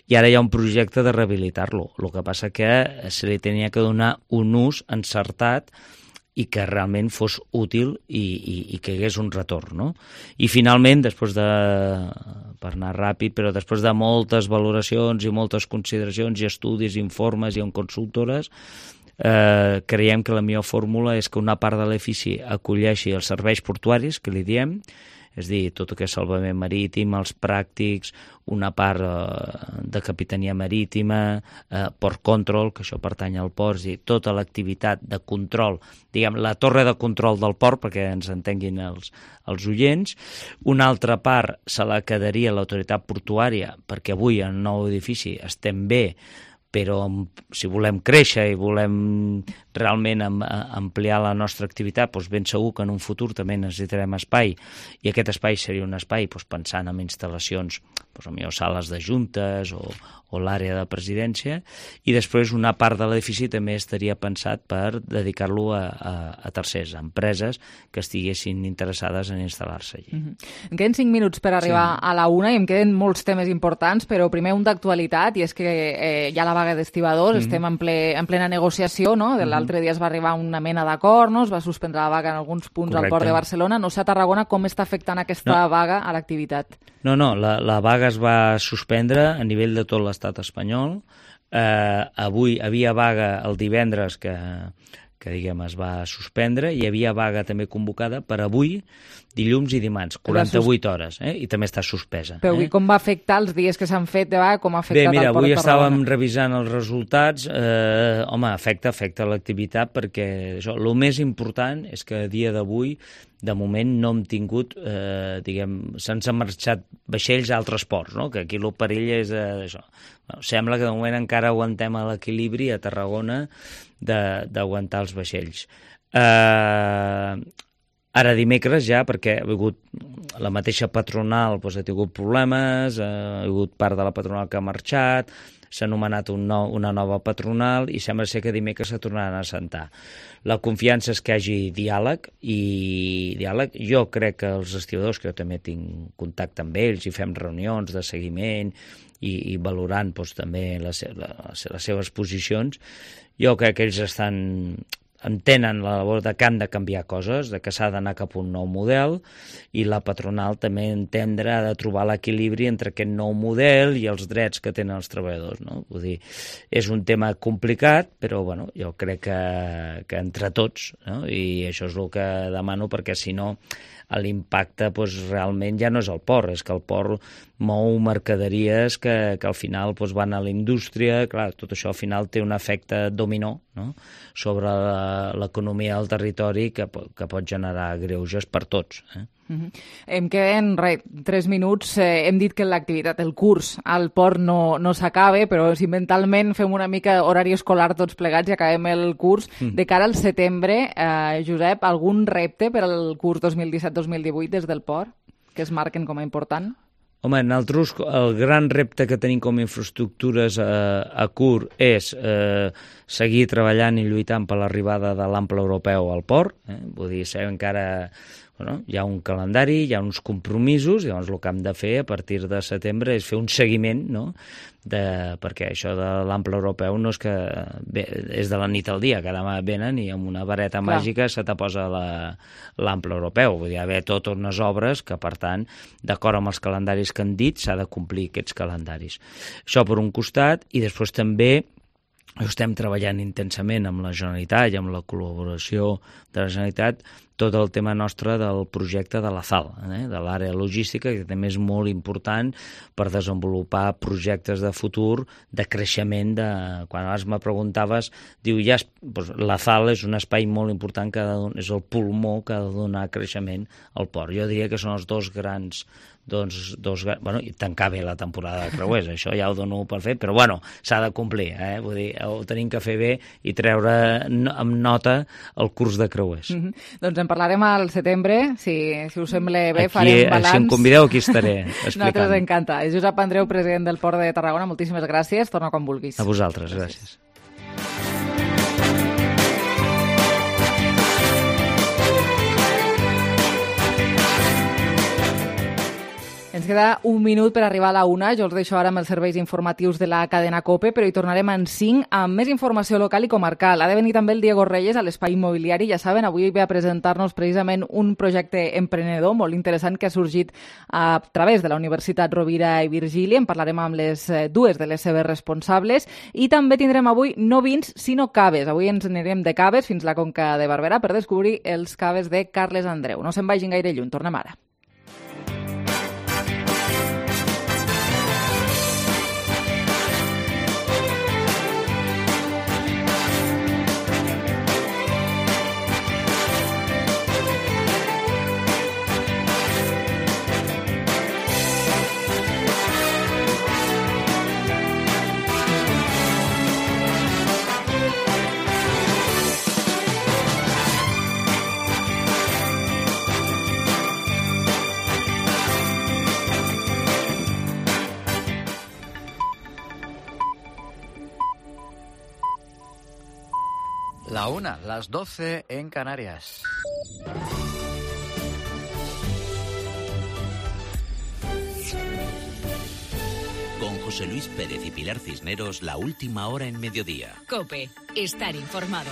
i ara hi ha un projecte de rehabilitar-lo. El que passa que se li tenia que donar un ús encertat i que realment fos útil i que hi hagués un retorn, no? I finalment, per anar ràpid, però després de moltes valoracions i moltes consideracions i estudis, informes i en consultores, creiem que la millor fórmula és que una part de l'edifici acolleixi els serveis portuaris, que li diem, és a dir, tot el que és salvament marítim, els pràctics, una part de capitania marítima, port control, que això pertany al port, és a dir, tota l'activitat de control, diguem, la torre de control del port, perquè ens entenguin els oients. Una altra part se la quedaria l'autoritat portuària, perquè avui en el nou edifici estem bé, però si volem créixer i volem realment ampliar la nostra activitat, doncs ben segur que en un futur també necessitarem espai, i aquest espai seria un espai pensant en instal·lacions, potser sales de juntes o l'àrea de presidència, i després una part de l'edifici també estaria pensat per dedicar-lo a tercers, a empreses que estiguessin interessades en instal·lar-se allí. Em queden 5 minuts per arribar a la 1 i em queden molts temes importants, però primer un d'actualitat, i és que hi ha la vaga d'estibadors, estem en plena negociació, no? L'altre dia es va arribar a una mena d'acord, no? Es va suspendre la vaga en alguns punts al Port de Barcelona. No sé a Tarragona com està afectant aquesta vaga a l'activitat. No, la vaga es va suspendre a nivell de tot l'estat espanyol. Avui havia vaga el divendres que diguem, es va suspendre, i hi havia vaga també convocada per avui, dilluns i dimarts, 48 hores, i també està suspesa. Però com va afectar els dies que s'han fet de vaga, com ha afectat al Port de Tarragona? Avui estàvem revisant els resultats, afecta l'activitat, perquè el més important és que a dia d'avui, de moment, no hem tingut, se'ns han marxat vaixells a altres ports, que aquí el perill és això. Sembla que de moment encara aguantem l'equilibri a Tarragona d'aguantar els vaixells. Ara dimecres ja, perquè ha hagut la mateixa patronal, ha tingut problemes, ha hagut part de la patronal que ha marxat, s'ha nomenat una nova patronal i sembla ser que dimecres se tornaran a assentar. La confiança és que hi hagi diàleg, i jo crec que els estibadors, que jo també tinc contacte amb ells i fem reunions de seguiment i valorant també les seves posicions, jo crec que ells entenen la labor de que han de canviar coses, de que s'ha d'anar cap a un nou model, i la patronal també ha de trobar l'equilibri entre aquest nou model i els drets que tenen els treballadors, no? Vull dir, és un tema complicat, però jo crec que entre tots, no? I això és el que demano, perquè si no l'impacte realment ja no és el port, és que el port mou mercaderies que al final van a la indústria. Clar, tot això al final té un efecte dominó, no?, sobre l'economia del territori que pot generar greuges per tots. Em queden 3 minuts. Hem dit que l'activitat, el curs al port no s'acaba, però si mentalment fem una mica horari escolar tots plegats i acabem el curs, de cara al setembre, Josep, algun repte per al curs 2017-2018 des del port que es marquen com a important? Home, nosaltres el gran repte que tenim com a infraestructures a curt és seguir treballant i lluitant per l'arribada de l'ample europeu al port. Vull dir, sabem que ara hi ha un calendari, hi ha uns compromisos, i llavors el que hem de fer a partir de setembre és fer un seguiment, no?, perquè això de l'ample europeu no és que és de la nit al dia, que demà venen i amb una vareta màgica se te posa l'ample europeu. Vull dir, hi ha totes unes obres que, per tant, d'acord amb els calendaris que han dit, s'ha de complir aquests calendaris. Això per un costat, i després també estem treballant intensament amb la Generalitat i amb la col·laboració de la Generalitat tot el tema nostre del projecte de la ZAL, de l'àrea logística, que també és molt important per desenvolupar projectes de futur, de creixement. Quan abans me preguntaves, diu, la ZAL és un espai molt important, és el pulmó que ha de donar creixement al port. Jo diria que són els dos grans i tancar bé la temporada de creuers, això ja ho dono per fet, però s'ha de complir, vull dir, ho tenim que fer bé i treure amb nota el curs de creuers. Doncs en parlarem al setembre, si us sembla bé, farem balanç. Si em convideu, aquí estaré explicant. Nosaltres encanta. Josep Andreu, president del Port de Tarragona, moltíssimes gràcies. Torna quan vulguis. A vosaltres, gràcies. Ens queda un minut per arribar a la 1. Jo els deixo ara amb els serveis informatius de la cadena COPE, però hi tornarem en 5 amb més informació local i comarcal. Ha de venir també el Diego Reyes a l'Espai Immobiliari. Ja saben, avui ve a presentar-nos precisament un projecte emprenedor molt interessant que ha sorgit a través de la Universitat Rovira i Virgili. En parlarem amb les dues de les seves responsables. I també tindrem avui no vins, sinó caves. Avui ens anirem de caves fins a la Conca de Barberà per descobrir els caves de Carles Andreu. No se'n vagin gaire lluny, tornem ara. La 1, las 12 en Canarias. Con José Luis Pérez y Pilar Cisneros, la última hora en mediodía. COPE, estar informado.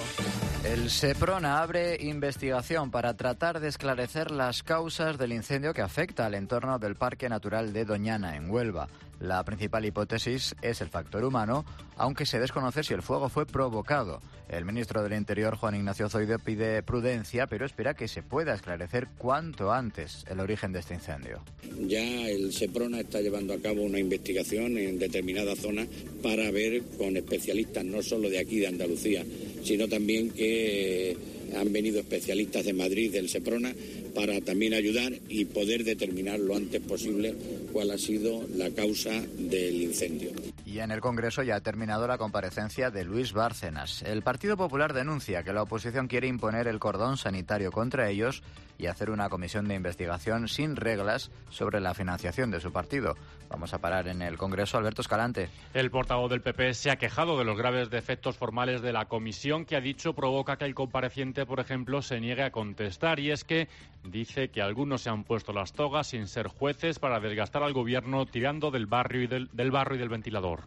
El Seprona abre investigación para tratar de esclarecer las causas del incendio que afecta al entorno del Parque Natural de Doñana, en Huelva. La principal hipótesis es el factor humano, aunque se desconoce si el fuego fue provocado. El ministro del Interior, Juan Ignacio Zoido, pide prudencia, pero espera que se pueda esclarecer cuanto antes el origen de este incendio. Ya el Seprona está llevando a cabo una investigación en determinadas zonas para ver con especialistas no solo de aquí, de Andalucía, sino también que han venido especialistas de Madrid, del Seprona, para también ayudar y poder determinar lo antes posible cuál ha sido la causa del incendio. Y en el Congreso ya ha terminado la comparecencia de Luis Bárcenas. El Partido Popular denuncia que la oposición quiere imponer el cordón sanitario contra ellos y hacer una comisión de investigación sin reglas sobre la financiación de su partido. Vamos a parar en el Congreso. Alberto Escalante. El portavoz del PP se ha quejado de los graves defectos formales de la comisión, que ha dicho provoca que el compareciente, por ejemplo, se niegue a contestar. Y es que dice que algunos se han puesto las togas sin ser jueces para desgastar al gobierno tirando del barrio y del ventilador.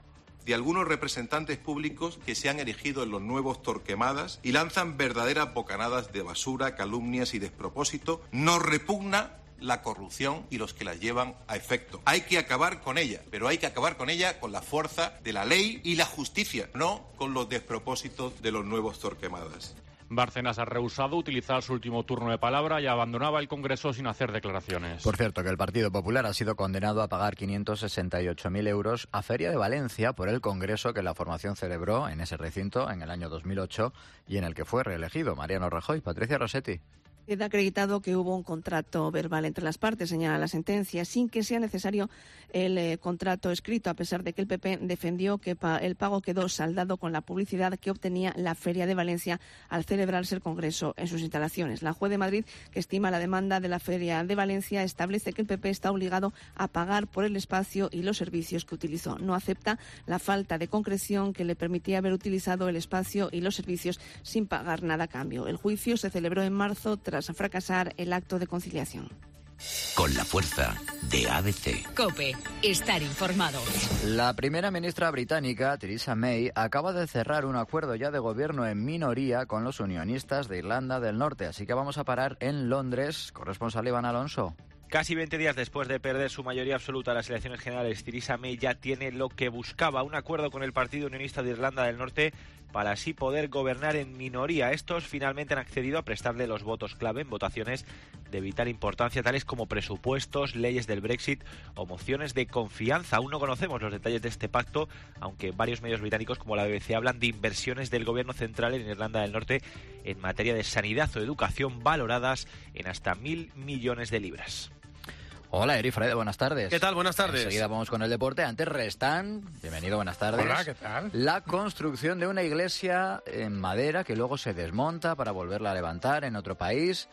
De algunos representantes públicos que se han erigido en los nuevos Torquemadas y lanzan verdaderas bocanadas de basura, calumnias y despropósito, nos repugna la corrupción y los que la llevan a efecto. Hay que acabar con ella, pero hay que acabar con ella con la fuerza de la ley y la justicia, no con los despropósitos de los nuevos Torquemadas. Bárcenas ha rehusado utilizar su último turno de palabra y abandonaba el Congreso sin hacer declaraciones. Por cierto, que el Partido Popular ha sido condenado a pagar 568.000 euros a Feria de Valencia por el congreso que la formación celebró en ese recinto en el año 2008 y en el que fue reelegido Mariano Rajoy. Patricia Rossetti. Queda acreditado que hubo un contrato verbal entre las partes, señala la sentencia, sin que sea necesario el contrato escrito, a pesar de que el PP defendió que el pago quedó saldado con la publicidad que obtenía la Feria de Valencia al celebrarse el Congreso en sus instalaciones. La juez de Madrid, que estima la demanda de la Feria de Valencia, establece que el PP está obligado a pagar por el espacio y los servicios que utilizó. No acepta la falta de concreción que le permitía haber utilizado el espacio y los servicios sin pagar nada a cambio. El juicio se celebró en marzo tras fracasar el acto de conciliación. Con la fuerza de ABC. COPE, estar informado. La primera ministra británica, Theresa May, acaba de cerrar un acuerdo ya de gobierno en minoría con los unionistas de Irlanda del Norte. Así que vamos a parar en Londres. Corresponsal Iván Alonso. Casi 20 días después de perder su mayoría absoluta en las elecciones generales, Theresa May ya tiene lo que buscaba, un acuerdo con el Partido Unionista de Irlanda del Norte para así poder gobernar en minoría. Estos finalmente han accedido a prestarle los votos clave en votaciones de vital importancia, tales como presupuestos, leyes del Brexit o mociones de confianza. Aún no conocemos los detalles de este pacto, aunque varios medios británicos como la BBC hablan de inversiones del gobierno central en Irlanda del Norte en materia de sanidad o educación valoradas en hasta 1.000 millones de libras. Hola, Eri Fred, buenas tardes. ¿Qué tal? Buenas tardes. Enseguida vamos con el deporte. Antes, Restán, bienvenido, buenas tardes. Hola, ¿qué tal? La construcción de una iglesia en madera que luego se desmonta para volverla a levantar en otro país.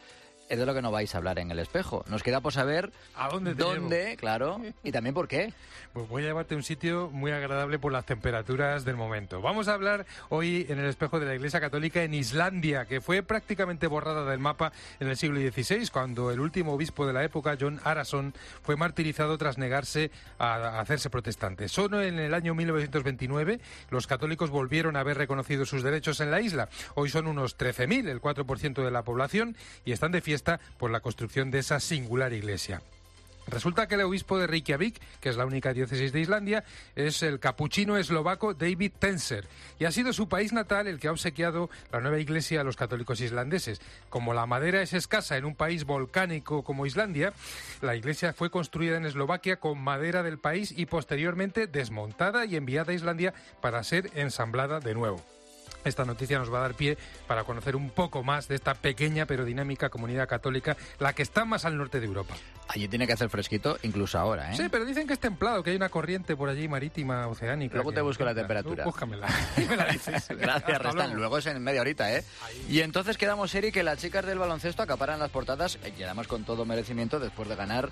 Es de lo que no vais a hablar en El Espejo. Nos queda por saber ¿a dónde, claro, y también por qué. Pues voy a llevarte a un sitio muy agradable por las temperaturas del momento. Vamos a hablar hoy en El Espejo de la Iglesia Católica en Islandia, que fue prácticamente borrada del mapa en el siglo XVI, cuando el último obispo de la época, John Arason, fue martirizado tras negarse a hacerse protestante. Solo en el año 1929 los católicos volvieron a haber reconocido sus derechos en la isla. Hoy son unos 13.000, el 4% de la población, y están de fiesta por la construcción de esa singular iglesia. Resulta que el obispo de Reykjavik, que es la única diócesis de Islandia, es el capuchino eslovaco David Tenser, y ha sido su país natal el que ha obsequiado la nueva iglesia a los católicos islandeses. Como la madera es escasa en un país volcánico como Islandia, la iglesia fue construida en Eslovaquia con madera del país y posteriormente desmontada y enviada a Islandia para ser ensamblada de nuevo. Esta noticia nos va a dar pie para conocer un poco más de esta pequeña pero dinámica comunidad católica, la que está más al norte de Europa. Allí tiene que hacer fresquito, incluso ahora, ¿eh? Sí, pero dicen que es templado, que hay una corriente por allí marítima, oceánica. Luego te busco la temperatura. Búscamela. Gracias, Restán. Luego es en media horita, ¿eh? Ahí. Y entonces quedamos, Eri, que las chicas del baloncesto acaparan las portadas, y además con todo merecimiento, después de ganar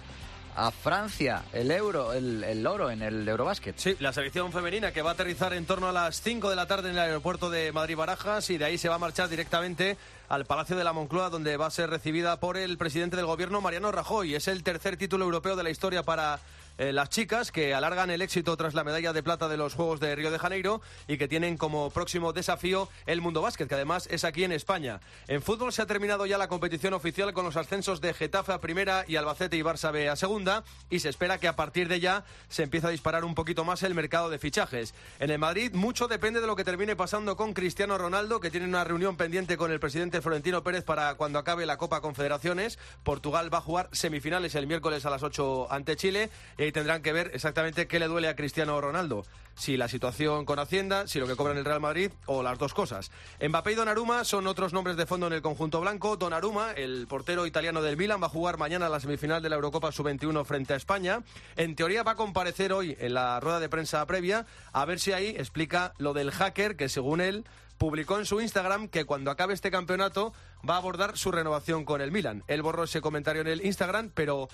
a Francia el oro en el Eurobásquet. Sí, la selección femenina que va a aterrizar en torno a las 5 de la tarde en el aeropuerto de Madrid-Barajas, y de ahí se va a marchar directamente al Palacio de la Moncloa, donde va a ser recibida por el presidente del gobierno, Mariano Rajoy. Es el tercer título europeo de la historia para las chicas, que alargan el éxito tras la medalla de plata de los Juegos de Río de Janeiro y que tienen como próximo desafío el Mundo Básquet, que además es aquí en España. En fútbol se ha terminado ya la competición oficial con los ascensos de Getafe a Primera y Albacete y Barça B a Segunda, y se espera que a partir de ya se empiece a disparar un poquito más el mercado de fichajes. En el Madrid mucho depende de lo que termine pasando con Cristiano Ronaldo, que tiene una reunión pendiente con el presidente Florentino Pérez para cuando acabe la Copa Confederaciones. Portugal va a jugar semifinales el miércoles a las 8 ante Chile, y tendrán que ver exactamente qué le duele a Cristiano Ronaldo. Si la situación con Hacienda, si lo que cobra en el Real Madrid, o las dos cosas. Mbappé y Donnarumma son otros nombres de fondo en el conjunto blanco. Donnarumma, el portero italiano del Milan, va a jugar mañana la semifinal de la Eurocopa Sub-21 frente a España. En teoría va a comparecer hoy en la rueda de prensa previa, a ver si ahí explica lo del hacker, que según él publicó en su Instagram que cuando acabe este campeonato va a abordar su renovación con el Milan. Él borró ese comentario en el Instagram, pero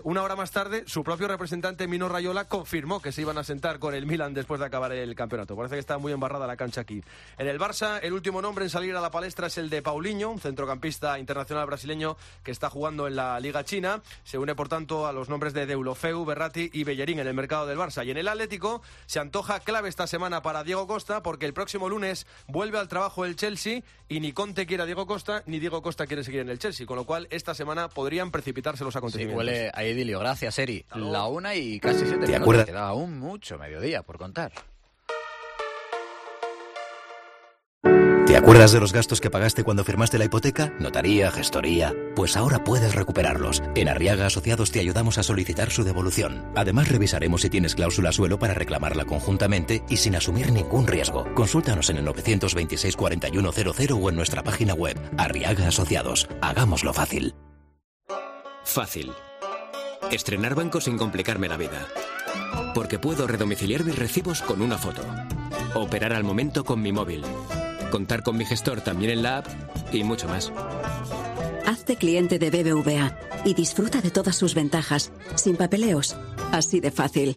una hora más tarde su propio representante Mino Raiola confirmó que se iban a sentar con el Milan después de acabar el campeonato. Parece que está muy embarrada la cancha aquí. En el Barça, el último nombre en salir a la palestra es el de Paulinho, un centrocampista internacional brasileño que está jugando en la Liga China. Se une, por tanto, a los nombres de Deulofeu, Berratti y Bellerín en el mercado del Barça. Y en el Atlético se antoja clave esta semana para Diego Costa, porque el próximo lunes vuelve al trabajo el Chelsea y ni Conte quiere a Diego Costa, ni Diego Costa quiere seguir en el Chelsea, con lo cual esta semana podrían precipitarse los acontecimientos. Sí, huele a idilio. Gracias, Eri. La 1 y casi 7 minutos. ¿Te acuerdas? Queda aún mucho mediodía por contar. ¿Te acuerdas de los gastos que pagaste cuando firmaste la hipoteca? Notaría, gestoría. Pues ahora puedes recuperarlos. En Arriaga Asociados te ayudamos a solicitar su devolución. Además, revisaremos si tienes cláusula suelo para reclamarla conjuntamente y sin asumir ningún riesgo. Consúltanos en el 926 4100 o en nuestra página web. Arriaga Asociados. Hagámoslo fácil. Fácil. Estrenar banco sin complicarme la vida. Porque puedo redomiciliar mis recibos con una foto. Operar al momento con mi móvil. Contar con mi gestor también en la app y mucho más. Hazte cliente de BBVA y disfruta de todas sus ventajas, sin papeleos, así de fácil.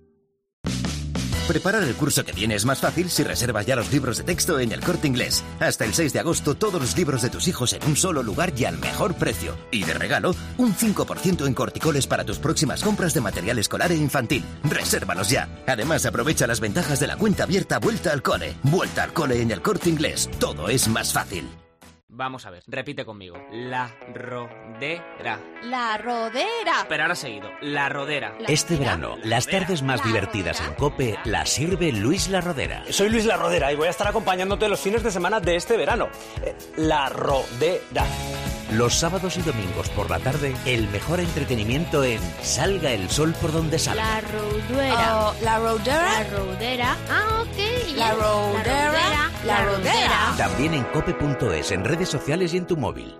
Preparar el curso que viene es más fácil si reservas ya los libros de texto en El Corte Inglés. Hasta el 6 de agosto todos los libros de tus hijos en un solo lugar y al mejor precio. Y de regalo, un 5% en corticoles para tus próximas compras de material escolar e infantil. Resérvalos ya. Además, aprovecha las ventajas de la cuenta abierta Vuelta al Cole. Vuelta al Cole en El Corte Inglés. Todo es más fácil. Vamos a ver, repite conmigo. La rodera. La rodera. Pero ahora seguido, la rodera. Este verano, las tardes más divertidas en COPE las sirve Luis La Rodera. Soy Luis La Rodera y voy a estar acompañándote los fines de semana de este verano. La rodera. Los sábados y domingos por la tarde, el mejor entretenimiento en Salga el sol por donde salga. La rodera. La rodera. La rodera. Ah, ok. La rodera. La rodera. También en cope.es, en redes sociales y en tu móvil.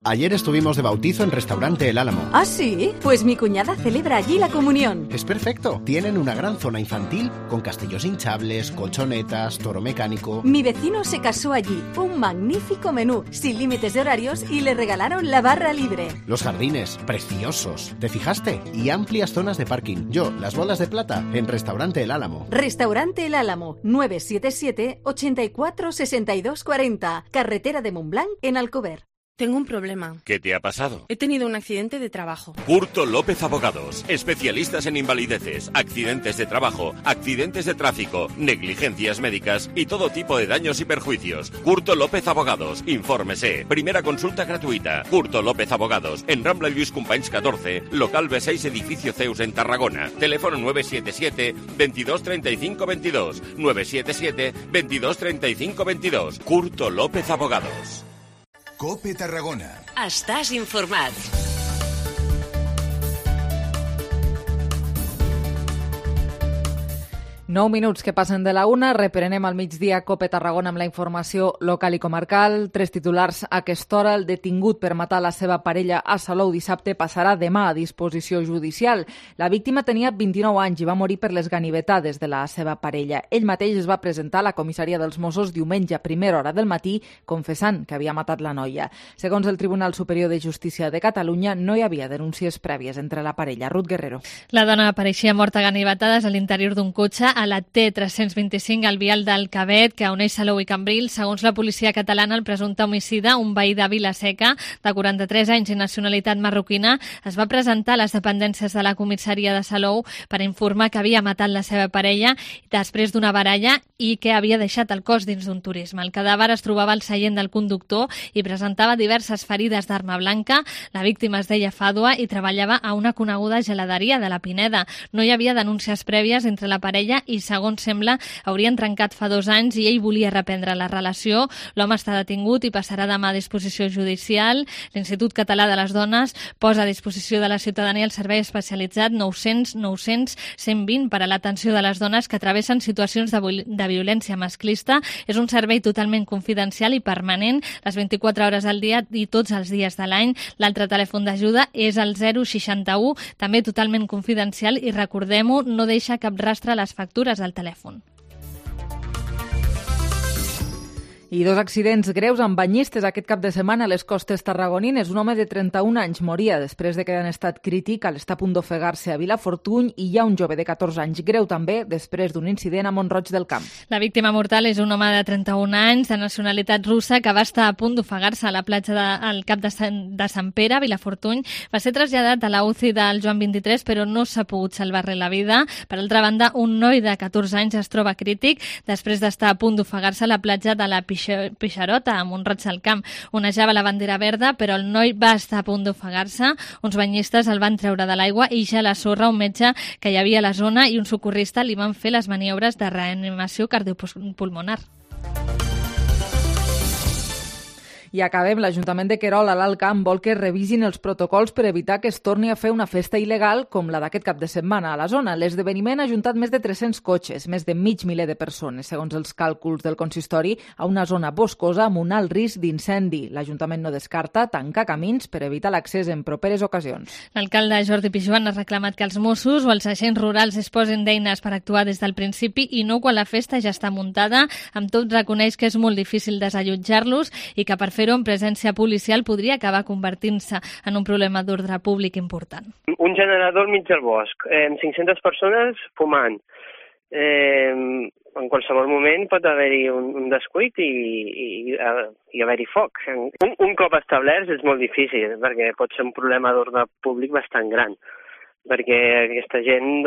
Ayer estuvimos de bautizo en Restaurante El Álamo. ¿Ah, sí? Pues mi cuñada celebra allí la comunión. Es perfecto. Tienen una gran zona infantil con castillos hinchables, colchonetas, toro mecánico. Mi vecino se casó allí. Un magnífico menú, sin límites de horarios, y le regalaron la barra libre. Los jardines, preciosos. ¿Te fijaste? Y amplias zonas de parking. Yo, las bolas de plata, en Restaurante El Álamo. Restaurante El Álamo, 977 84 62 40. Carretera de Montblanc, en Alcover. Tengo un problema. ¿Qué te ha pasado? He tenido un accidente de trabajo. Curto López Abogados, especialistas en invalideces, accidentes de trabajo, accidentes de tráfico, negligencias médicas y todo tipo de daños y perjuicios. Curto López Abogados, infórmese. Primera consulta gratuita. Curto López Abogados, en Rambla Lluís Companys 14, local B6, edificio Zeus en Tarragona. Teléfono 977 22 35 22. 977 22 35 22. Curto López Abogados. COPE Tarragona. Estàs informat. 9 minuts que passen de la 1, reprenem al migdia COPE Tarragona amb la informació local i comarcal. 3 titulars a aquesta hora. El detingut per matar la seva parella a Salou dissabte passarà demà a disposició judicial. La víctima tenia 29 anys i va morir per les ganivetades de la seva parella. Ell mateix es va presentar a la comissaria dels Mossos diumenge a primera hora del matí confessant que havia matat la noia. Segons el Tribunal Superior de Justícia de Catalunya, no hi havia denúncies prèvies entre la parella. Ruth Guerrero. La dona apareixia morta a ganivetades a l'interior d'un cotxe a la T325 al vial del Cabet, que uneix Salou i Cambrils. Segons la policia catalana, el presumpte homicida, un veí de Vila-seca, de 43 anys i nacionalitat marroquina, es va presentar a les dependències de la comissaria de Salou per informar que havia matat la seva parella després d'una baralla i que havia deixat el cos dins d'un turisme. El cadàver es trobava al seient del conductor i presentava diverses ferides d'arma blanca. La víctima es deia Fàdua i treballava a una coneguda geladeria de la Pineda. No hi havia denúncies prèvies entre la parella i, segons sembla, haurien trencat fa 2 anys i ell volia reprendre la relació. L'home està detingut i passarà demà a disposició judicial. L'Institut Català de les Dones posa a disposició de la ciutadania el servei especialitzat 900 900 120 per a l'atenció de les dones que travessen situacions de violència masclista. És un servei totalment confidencial i permanent, les 24 hores al dia i tots els dies de l'any. L'altre telèfon d'ajuda és el 061, també totalment confidencial, i recordem-ho, no deixa cap rastre a les factures del telèfon. I 2 accidents greus amb banyistes aquest cap de setmana a les costes tarragonines. Un home de 31 anys moria després de quedar en estat crític al estar a punt d'ofegar-se a Vilafortuny, i hi ha un jove de 14 anys greu també després d'un incident a Mont-roig del Camp. La víctima mortal és un home de 31 anys de nacionalitat russa que va estar a punt d'ofegar-se a la platja al Cap de Sant Pere, a Vilafortuny. Va ser traslladat a la UCI del Joan 23, però no s'ha pogut salvar-li la vida. Per altra banda, un noi de 14 anys es troba crític després d'estar a punt d'ofegar-se a la platja de la Pixarota, a Mont-roig del Camp. Onejava la bandera verda, però el noi va estar a punt d'ofegar-se. Uns banyistes el van treure de l'aigua i ja a la sorra un metge que hi havia a la zona i un socorrista li van fer les maniobres de reanimació cardiopulmonar. I acabem. L'Ajuntament de Querol, a l'Alt Camp, vol que revisin els protocols per evitar que es torni a fer una festa il·legal com la d'aquest cap de setmana a la zona. L'esdeveniment ha ajuntat més de 300 cotxes, més de mig miler de persones, segons els càlculs del consistori, a una zona boscosa amb un alt risc d'incendi. L'Ajuntament no descarta tancar camins per evitar l'accés en properes ocasions. L'alcalde Jordi Pijuan ha reclamat que els Mossos o els agents rurals disposin d'eines per actuar des del principi i no quan la festa ja està muntada. Amb tot, reconeix que és molt difícil desallotjar-los i que per fer-ho en presència policial podria acabar convertint-se en un problema d'ordre públic important. Un generador al mig del bosc, 500 persones fumant. En qualsevol moment pot haver-hi un descuit i haver-hi foc. Un cop establerts és molt difícil, perquè pot ser un problema d'ordre públic bastant gran, perquè aquesta gent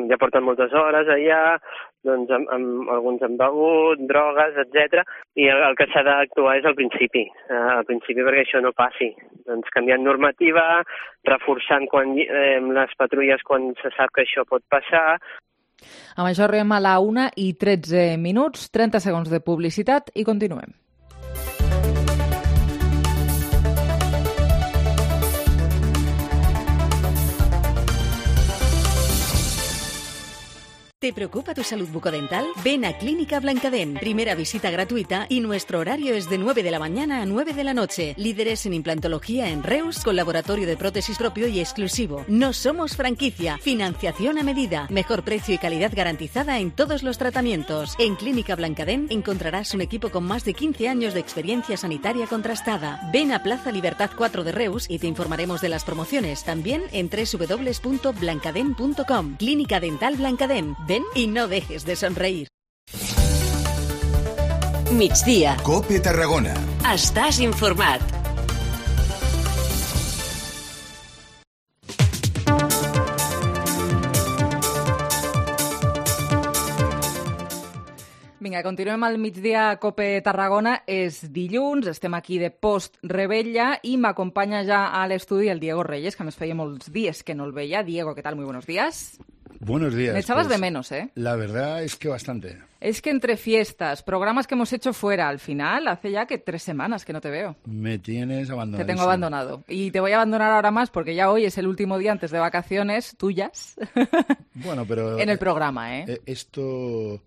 ja porten moltes hores allà, alguns han begut, drogues, etc. I el que s'ha d'actuar és al principi perquè això no passi. Canviant normativa, reforçant les patrulles quan se sap que això pot passar. Amb això arribem a la 1:13, 30 segons de publicitat i continuem. ¿Te preocupa tu salud bucodental? Ven a Clínica Blancadent. Primera visita gratuita y nuestro horario es de 9 de la mañana a 9 de la noche. Líderes en implantología en Reus, con laboratorio de prótesis propio y exclusivo. No somos franquicia. Financiación a medida. Mejor precio y calidad garantizada en todos los tratamientos. En Clínica Blancadent encontrarás un equipo con más de 15 años de experiencia sanitaria contrastada. Ven a Plaza Libertad 4 de Reus y te informaremos de las promociones. También en www.blancadent.com. Clínica Dental Blancadent. Ven y no dejes de sonreír. Migdia. Cope Tarragona. Estàs informat. Vinga, continuem al migdia a Cope Tarragona. És dilluns, estem aquí de post-rebella i m'acompanya ja a l'estudi el Diego Reyes, que a més feia molts dies que no el veia. Diego, ¿qué tal? Muy buenos días. Buenos días. Me echabas de menos, ¿eh? La verdad es que bastante. Es que entre fiestas, programas que hemos hecho fuera, al final, hace ya que 3 semanas que no te veo. Me tienes abandonado. Te tengo abandonado. Y te voy a abandonar ahora más porque ya hoy es el último día antes de vacaciones tuyas. Bueno, pero... en el programa, ¿eh? Esto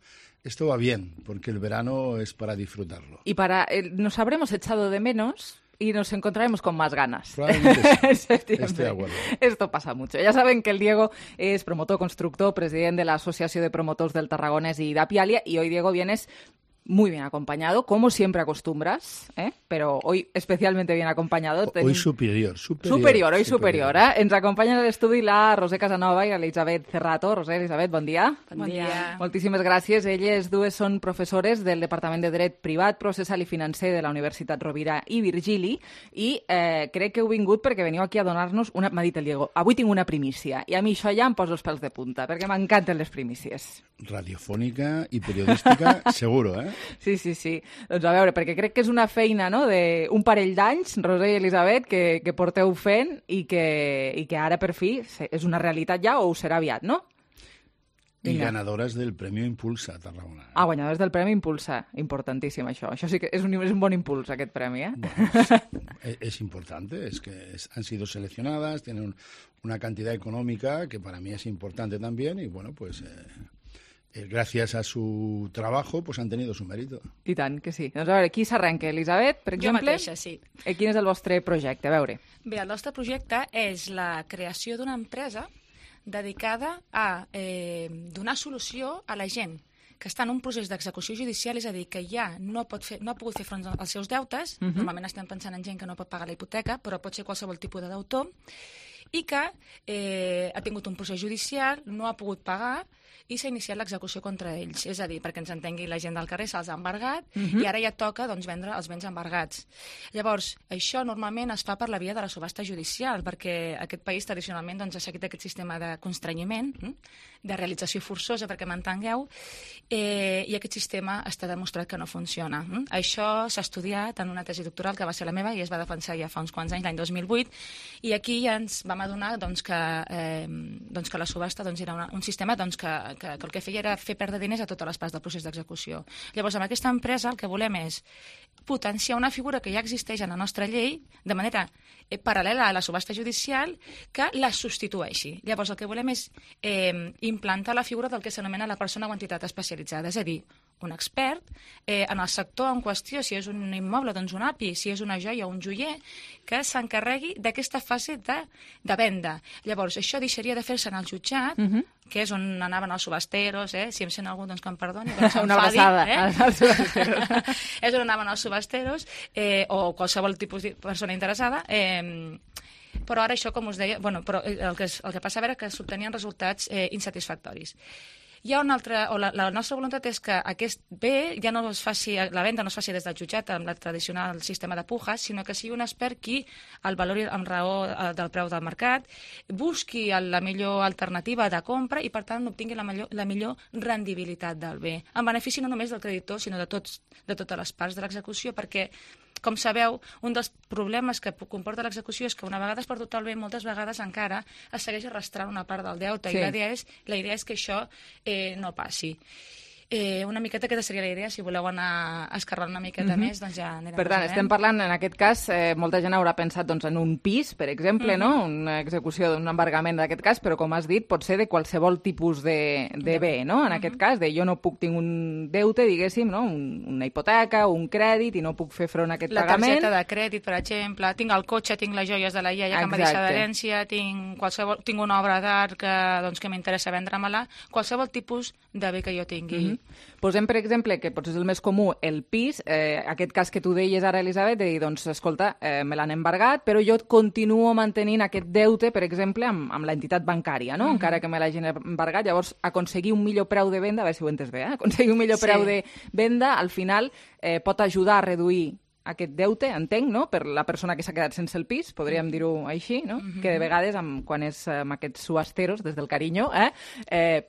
va bien, porque el verano es para disfrutarlo. Y nos habremos echado de menos y nos encontraremos con más ganas. Probablemente sí. Estoy de acuerdo. Esto pasa mucho. Ja saben que el Diego es promotor, constructor, president de la Asociación de Promotors del Tarragonés y d'Apialia, y hoy, Diego, vienes muy bien acompañado, como siempre acostumbras, ¿eh? Pero hoy especialmente bien acompañado. Hoy superior. Hoy superior, ¿eh? Ens acompanyen a l'estudi la Roser Casanova i l'Elisabet Cerrato. Roser, Elisabet, bon dia. Bon dia. Moltíssimes gràcies. Elles dues són professores del Departament de Dret Privat, Processal i Financer de la Universitat Rovira i Virgili, i crec que heu vingut perquè veniu aquí a donar-nos m'ha dit el Diego, avui tinc una primícia, i a mi això ja em posa els pèls de punta, perquè m'encanten les primícies. Radiofònica i periodística, seguro, eh? Sí. Doncs a veure, perquè crec que és una feina, no?, d'un parell d'anys, Roser i Elisabet, que porteu fent i que ara, per fi, és una realitat ja o ho serà aviat, no? I ganadores del Premio Impulsa Tarragona. Guanyadores del Premi Impulsa. Importantíssim, això. Això sí que és un bon impuls, aquest premi, ¿eh? Bueno, es importante, es que han sido seleccionadas, tienen una cantidad económica que para mí es importante también y, bueno, pues... gracias a su trabajo, pues han tenido su mérito. I tant, que sí. Doncs a veure, qui s'arrenca? Elisabet, per exemple? Jo mateixa, sí. Quin és el vostre projecte? A veure. Bé, el nostre projecte és la creació d'una empresa dedicada a donar solució a la gent que està en un procés d'execució judicial, és a dir, que ja no ha pogut fer front als seus deutes, normalment estem pensant en gent que no pot pagar la hipoteca, però pot ser qualsevol tipus de deutor, i que ha tingut un procés judicial, no ha pogut pagar, i s'ha iniciat l'execució contra ells. És a dir, perquè ens entengui la gent del carrer, se'ls ha embargat i ara ja toca vendre els béns embargats. Llavors, això normalment es fa per la via de la subhasta judicial, perquè aquest país tradicionalment ha seguit aquest sistema de constrenyiment, de realització forçosa, perquè m'entengueu, i aquest sistema està demostrat que no funciona. Això s'ha estudiat en una tesi doctoral que va ser la meva i es va defensar ja fa uns quants anys, l'any 2008, i aquí ja ens vam adonar que la subhasta era un sistema que el que feia era fer perdre diners a totes les parts del procés d'execució. Llavors, amb aquesta empresa el que volem és potenciar una figura que ja existeix en la nostra llei de manera paral·lela a la subhasta judicial que la substitueixi. Llavors, el que volem és implantar la figura del que s'anomena la persona o entitat especialitzada, és a dir, un expert en el sector en qüestió, si és un immoble, doncs un API, si és una joia o un joier, que s'encarregui d'aquesta fase de venda. Llavors, això deixaria de fer-se en el jutjat, que és on anaven els subhasteros, si em sent algú, doncs que em perdoni. Una abraçada als subhasteros. És on anaven els subhasteros, o qualsevol tipus de persona interessada, però ara això, com us deia, però el que passava era que s'obtenien resultats insatisfactoris. Hi ha una altra, la nostra voluntat és que aquest bé ja no es faci, la venda no es faci des del jutjat amb el tradicional sistema de pujas, sinó que sigui un expert qui el valori amb raó del preu del mercat, busqui la millor alternativa de compra i, per tant, obtingui la millor rendibilitat del bé, en benefici no només del creditor, sinó de totes les parts de l'execució, perquè, com sabeu, un dels problemes que comporta l'execució és que una vegada es perdut el bé, moltes vegades encara es segueix arrastrant una part del deute, i la idea és que això no passi. Una miqueta aquesta seria la idea, si voleu anar escarrant una miqueta més, doncs ja anirem. Per tant, estem parlant, en aquest cas, molta gent haurà pensat doncs, en un pis, per exemple, no? Una execució d'un embargament d'aquest cas, però com has dit, pot ser de qualsevol tipus de bé, no? En aquest cas, jo no puc tenir un deute, diguéssim, no? Una hipoteca, un crèdit, i no puc fer front a aquest pagament. La targeta de crèdit, per exemple, tinc el cotxe, tinc les joies de la iaia que em va deixar d'herència, tinc una obra d'art que m'interessa vendre-me-la, qualsevol tipus de bé que jo tingui. Posem, per exemple, que potser és el més comú, el pis, aquest cas que tu deies ara, Elisabet, de dir, doncs, escolta, me l'han embargat, però jo continuo mantenint aquest deute, per exemple, amb l'entitat bancària, no? Encara que me l'hagin embargat. Llavors, aconseguir un millor preu de venda, a veure si ho entes bé, aconseguir un millor preu de venda, al final pot ajudar a reduir aquest deute, entenc, no? Per la persona que s'ha quedat sense el pis, podríem dir-ho així, no? Que de vegades, quan és amb aquests subasteros, des del carinyo,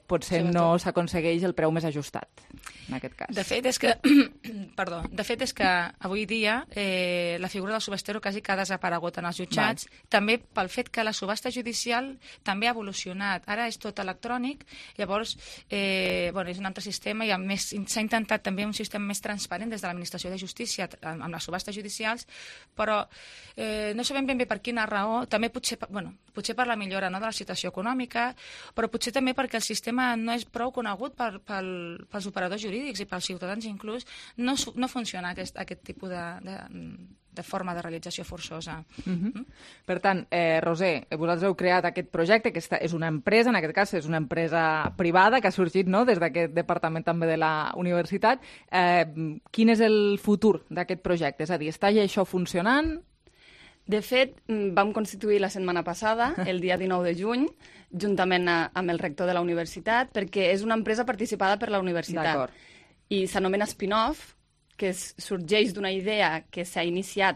potser no s'aconsegueix el preu més ajustat, en aquest cas. De fet, és que avui dia la figura del subastero quasi que ha desaparegut en els jutjats, també pel fet que la subhasta judicial també ha evolucionat. Ara és tot electrònic, llavors és un altre sistema i a més s'ha intentat també un sistema més transparent des de l'administració de justícia amb les subhastes judicials, però no sabem ben bé per quina raó, també potser per la millora de la situació econòmica, però potser també perquè el sistema no és prou conegut pels operadors jurídics i pels ciutadans inclús, no funciona aquest tipus de forma de realització forçosa. Per tant, Roser, vosaltres heu creat aquest projecte, que és una empresa, en aquest cas és una empresa privada que ha sorgit des d'aquest departament també de la universitat. Quin és el futur d'aquest projecte? És a dir, està ja això funcionant? De fet, vam constituir la setmana passada, el dia 19 de juny, juntament amb el rector de la universitat, perquè és una empresa participada per la universitat. I s'anomena Spin-Off, que sorgeix d'una idea que s'ha iniciat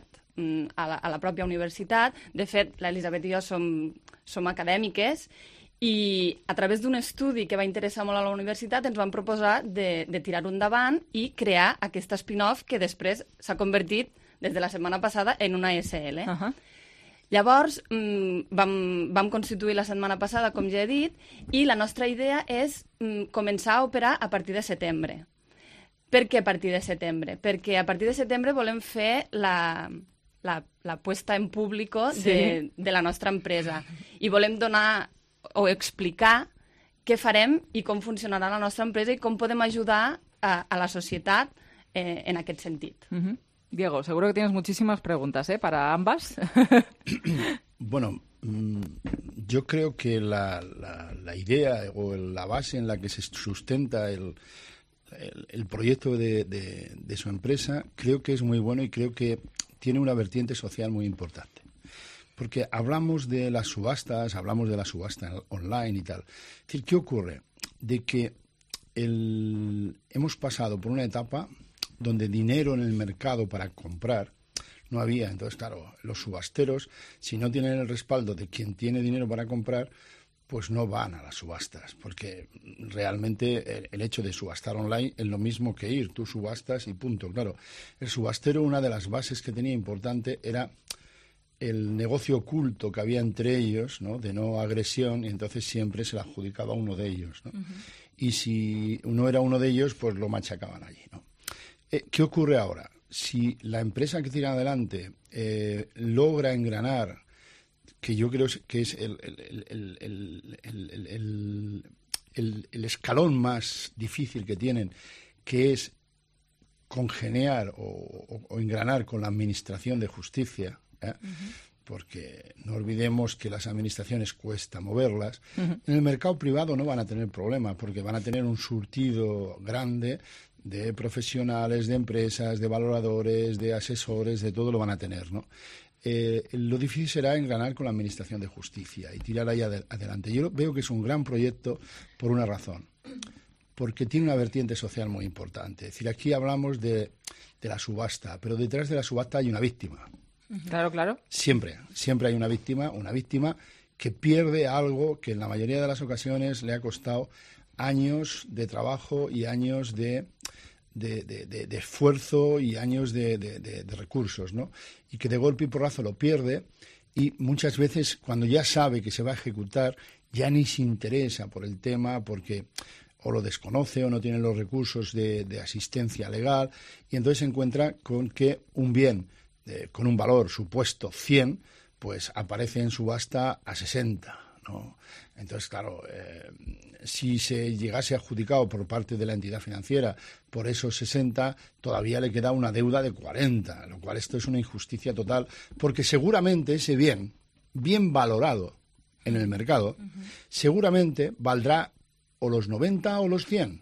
a la pròpia universitat. De fet, l'Elisabet i jo som acadèmiques i a través d'un estudi que va interessar molt a la universitat ens van proposar de tirar-ho endavant i crear aquesta spin-off que després s'ha convertit, des de la setmana passada, en una SL. Llavors, vam constituir la setmana passada, com ja he dit, i la nostra idea és començar a operar a partir de setembre. Per què a partir de setembre? Perquè a partir de setembre volem fer la puesta en públic de la nostra empresa i volem donar o explicar què farem i com funcionarà la nostra empresa i com podem ajudar a la societat en aquest sentit. Diego, seguro que tienes muchísimas preguntas, para ambas. Bueno, yo creo que la idea o la base en la que se sustenta el proyecto de su empresa creo que es muy bueno y creo que tiene una vertiente social muy importante. Porque hablamos de las subastas, hablamos de la subasta online y tal. Es decir, ¿qué ocurre? De que hemos pasado por una etapa donde dinero en el mercado para comprar no había. Entonces, claro, los subasteros, si no tienen el respaldo de quien tiene dinero para comprar, pues no van a las subastas, porque realmente el hecho de subastar online es lo mismo que ir. Tú subastas y punto. Claro, el subastero, una de las bases que tenía importante era el negocio oculto que había entre ellos, ¿no? De no agresión, y entonces siempre se la adjudicaba a uno de ellos, ¿no? Y si uno era uno de ellos, pues lo machacaban allí, ¿no? ¿Qué ocurre ahora? Si la empresa que tira adelante logra engranar, que yo creo que es el escalón más difícil que tienen, que es congeniar o engranar con la administración de justicia, porque no olvidemos que las administraciones cuesta moverlas. En el mercado privado no van a tener problema, porque van a tener un surtido grande de profesionales, de empresas, de valoradores, de asesores, de todo lo van a tener, ¿no? Lo difícil será engranar con la Administración de Justicia y tirar ahí adelante. Yo veo que es un gran proyecto por una razón, porque tiene una vertiente social muy importante. Es decir, aquí hablamos de la subasta, pero detrás de la subasta hay una víctima. Claro, claro. Siempre hay una víctima que pierde algo que en la mayoría de las ocasiones le ha costado años de trabajo y años de esfuerzo y años de recursos, ¿no? Y que de golpe y porrazo lo pierde, y muchas veces cuando ya sabe que se va a ejecutar ya ni se interesa por el tema, porque o lo desconoce o no tiene los recursos de asistencia legal, y entonces se encuentra con que un bien con un valor supuesto 100, pues aparece en subasta a 60, ¿no? Entonces, claro, si se llegase adjudicado por parte de la entidad financiera por esos 60, todavía le queda una deuda de 40, lo cual esto es una injusticia total, porque seguramente ese bien valorado en el mercado, seguramente valdrá o los 90 o los 100.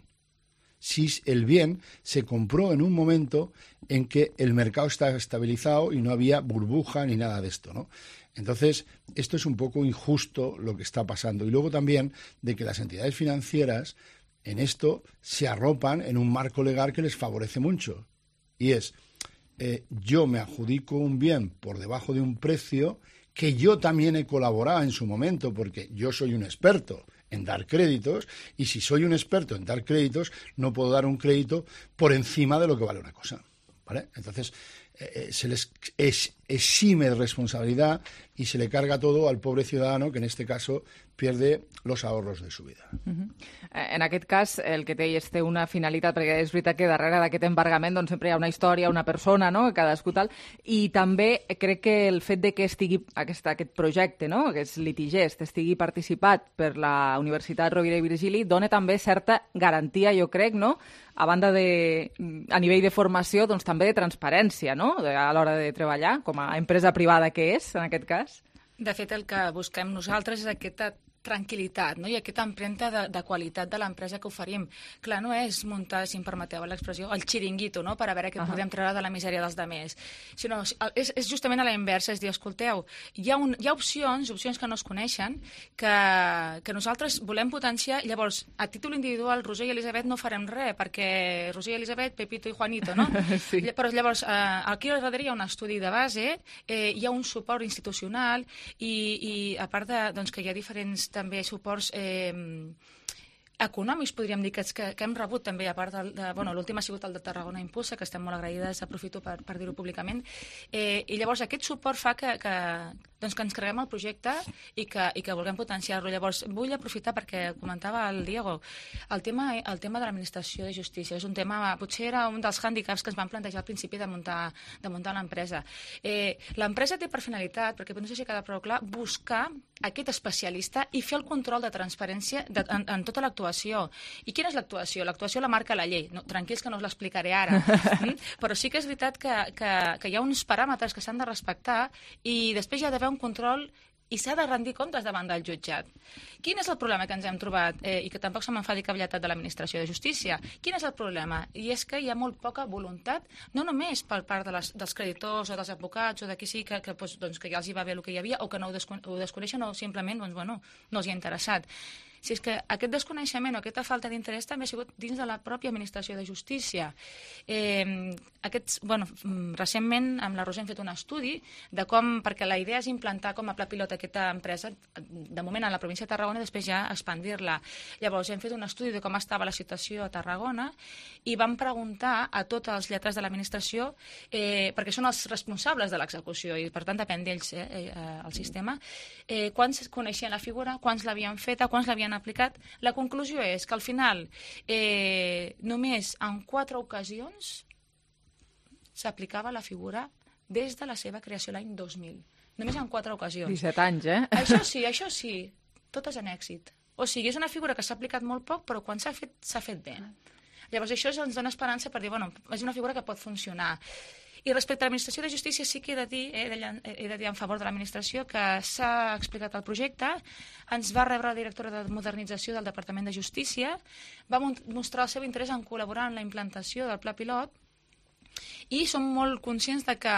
Si el bien se compró en un momento en que el mercado estaba estabilizado y no había burbuja ni nada de esto, ¿no? Entonces, esto es un poco injusto lo que está pasando. Y luego también de que las entidades financieras en esto se arropan en un marco legal que les favorece mucho. Y es, yo me adjudico un bien por debajo de un precio que yo también he colaborado en su momento, porque yo soy un experto en dar créditos, y si soy un experto en dar créditos, no puedo dar un crédito por encima de lo que vale una cosa, ¿vale? Entonces, se les exime de responsabilidad y se le carga todo al pobre ciudadano, que en este caso pierde los ahorros de su vida. En aquest cas, el que té té una finalitat, perquè és veritat que darrere d'aquest embargament doncs, sempre hi ha una història, una persona, no?, cadascú tal, i també crec que el fet de que estigui aquest projecte, no?, aquest litigest, estigui participat per la Universitat Rovira i Virgili, dona també certa garantia, jo crec, no?, a banda de, a nivell de formació, doncs també de transparència, no?, a l'hora de treballar, com a empresa privada que és, en aquest cas. De fet, el que busquem nosaltres és aquesta tranquil·litat, no? I aquesta empremta de qualitat de l'empresa que oferim. Clar, no és muntar, si em permeteu l'expressió, el xiringuito, no?, per a veure què podem treure de la misèria dels demés, sinó és justament a la inversa, és dir, escolteu, hi ha opcions que no es coneixen, que nosaltres volem potenciar, i llavors, a títol individual, Roser i Elisabet no farem res, perquè Roser i Elisabet, Pepito i Juanito, no? Sí. Però llavors, aquí al darrere hi ha un estudi de base, hi ha un suport institucional, i a part de, doncs, que hi ha diferents també suports econòmics, podríem dir, que hem rebut també, a part l'últim ha sigut el de Tarragona Impulsa, que estem molt agraïdes, aprofito per dir-ho públicament, i llavors aquest suport fa que ens creguem el projecte i que vulguem potenciar-lo. Llavors, vull aprofitar perquè comentava el Diego, el tema de l'administració de justícia. És un tema, potser era un dels hàndicaps que ens van plantejar al principi de muntar l'empresa. L'empresa té per finalitat, perquè no sé si queda prou clar, buscar aquest especialista i fer el control de transparència en tota l'actuació. I quina és l'actuació? L'actuació la marca la llei. No, tranquils que no us l'explicaré ara. Però sí que és veritat que hi ha uns paràmetres que s'han de respectar i després hi ha d'haver un control i s'ha de rendir comptes davant del jutjat. Quin és el problema que ens hem trobat? I que tampoc se m'enfadi cavalletat de l'administració de justícia. Quin és el problema? I és que hi ha molt poca voluntat, no només per part dels creditors o dels advocats o de qui sigui que ja els hi va bé el que hi havia o que no ho desconeixen o simplement no els hi ha interessat. Si és que aquest desconeixement o aquesta falta d'interès també ha sigut dins de la pròpia administració de justícia. Recentment amb la Roser hem fet un estudi de com, perquè la idea és implantar com a pla pilot aquesta empresa, de moment a la província de Tarragona i després ja expandir-la. Llavors hem fet un estudi de com estava la situació a Tarragona i vam preguntar a tots els lletrats de l'administració, perquè són els responsables de l'execució i per tant depèn d'ells el sistema, quants coneixien la figura, quants l'havien feta, quants l'havien aplicat. La conclusió és que al final només en 4 ocasions s'aplicava la figura des de la seva creació l'any 2000. Només en 4 ocasions. 17 anys, eh? Això sí, totes en èxit. O sigui, és una figura que s'ha aplicat molt poc, però quan s'ha fet bé. Llavors això ens dona esperança per dir, és una figura que pot funcionar. I respecte a l'administració de justícia sí que he de dir en favor de l'administració que s'ha explicat el projecte, ens va rebre la directora de modernització del Departament de Justícia, va mostrar el seu interès en col·laborar en la implantació del pla pilot i som molt conscients de que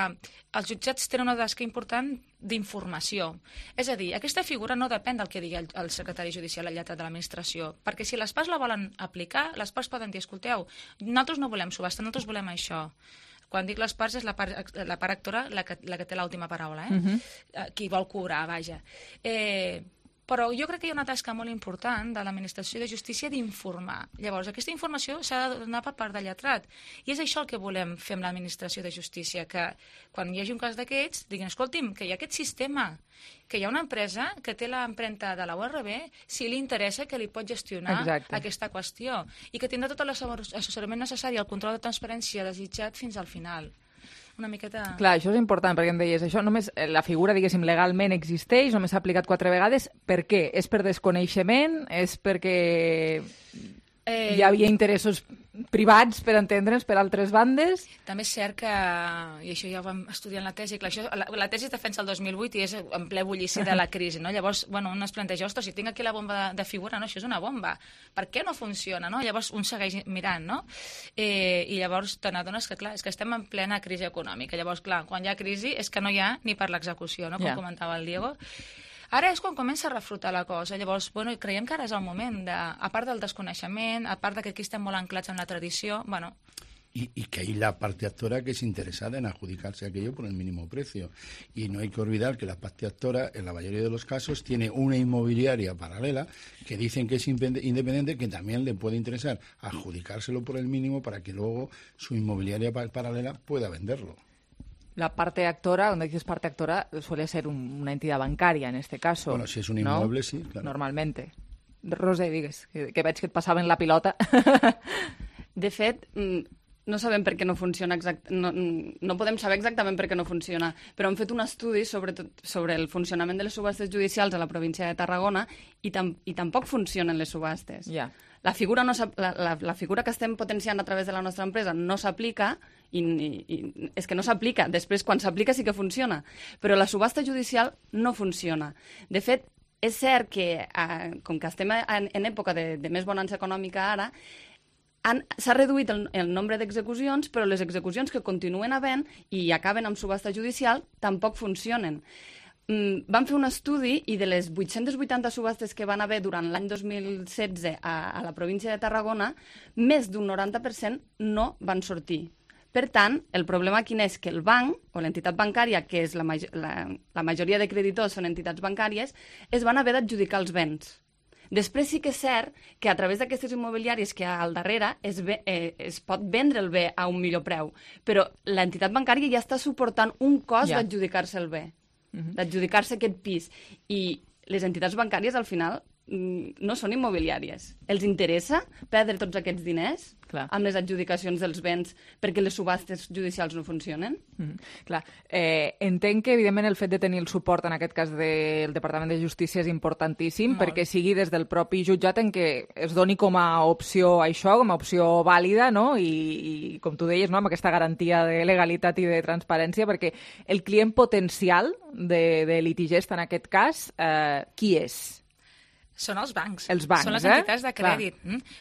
els jutjats tenen una tasca important d'informació. És a dir, aquesta figura no depèn del que digui el secretari judicial al lletrat de l'administració, perquè si les parts la volen aplicar, les parts poden dir, escolteu, nosaltres no volem subhasta, nosaltres volem això. Quan dic les parts és la part actora la que té l'última paraula, qui vol cobrar, vaja. Però jo crec que hi ha una tasca molt important de l'Administració de Justícia d'informar. Llavors, aquesta informació s'ha de donar per part del lletrat. I és això el que volem fer amb l'Administració de Justícia, que quan hi hagi un cas d'aquests, diguin, escolti'm, que hi ha aquest sistema, que hi ha una empresa que té l'empremta de la URB, si li interessa que li pot gestionar aquesta qüestió, i que tindrà tot l'assessorament necessari, el control de transparència desitjat fins al final. Una miqueta... Clar, això és important, perquè em deies, això només, la figura, diguéssim, legalment existeix, només s'ha aplicat 4 vegades. Per què? És per desconeixement? És perquè hi havia interessos privats, per entendre'ns, per altres bandes? També és cert que, i això ja ho vam estudiar en la tesi, clar, això, la tesi es defensa el 2008 i és en ple bullici de la crisi, no? Llavors, bueno, un es planteja, ostres, si tinc aquí la bomba de figura, no, això és una bomba, per què no funciona, no? Llavors un segueix mirant, no? I llavors te n'adones que, clar, és que estem en plena crisi econòmica, llavors, clar, quan hi ha crisi és que no hi ha ni per l'execució, no? Com comentava el Diego. Ara és quan comença a refrutar la cosa. Llavors, bueno, creiem que ara és el moment, a part del desconeixement, a part que aquí estem molt anclats en la tradició, bueno... Y que hay la parte actora que es interesada en adjudicarse aquello por el mínimo precio. Y no hay que olvidar que la parte actora, en la mayoría de los casos, tiene una inmobiliaria paralela que dicen que es independiente, que también le puede interesar adjudicárselo por el mínimo para que luego su inmobiliaria paralela pueda venderlo. La parte actora, cuando dices parte actora, suele ser una entidad bancaria en este caso. Bueno, si es un inmueble, ¿no? Sí, claro. Normalmente. Roser, digues, que veig que et passaven la pilota. De fet, no sabem per què no funciona no podem saber exactament per què no funciona, però hem fet un estudi sobre el funcionament de les subhastes judicials a la província de Tarragona i tampoc funcionen les subhastes. Yeah. La figura que estem potenciant a través de la nostra empresa no s'aplica i és que no s'aplica. Després, quan s'aplica, sí que funciona. Però la subhasta judicial no funciona. De fet, és cert que, com que estem en època de més bonança econòmica ara, s'ha reduït el nombre d'execucions, però les execucions que continuen havent i acaben amb subhasta judicial tampoc funcionen. Vam fer un estudi i de les 880 subhastes que van haver durant l'any 2016 a la província de Tarragona, més d'un 90% no van sortir. Per tant, el problema quin és? Que el banc, o l'entitat bancària, que és la majoria de creditors són entitats bancàries, es van haver d'adjudicar els béns. Després sí que és cert que a través d'aquestes immobiliàries que hi ha al darrere es pot vendre el bé a un millor preu, però l'entitat bancària ja està suportant un cost d'adjudicar-se el bé, d'adjudicar-se aquest pis. I les entitats bancàries, al final, no són immobiliàries. Els interessa perdre tots aquests diners amb les adjudicacions dels béns perquè les subhastes judicials no funcionen? Clar. Entenc que, evidentment, el fet de tenir el suport, en aquest cas del Departament de Justícia, és importantíssim, perquè sigui des del propi jutjat en què es doni com a opció això, com a opció vàlida, no? I com tu deies, no? Amb aquesta garantia de legalitat i de transparència, perquè el client potencial de litigista, en aquest cas, qui és? Són els bancs. Els bancs, són les entitats de crèdit.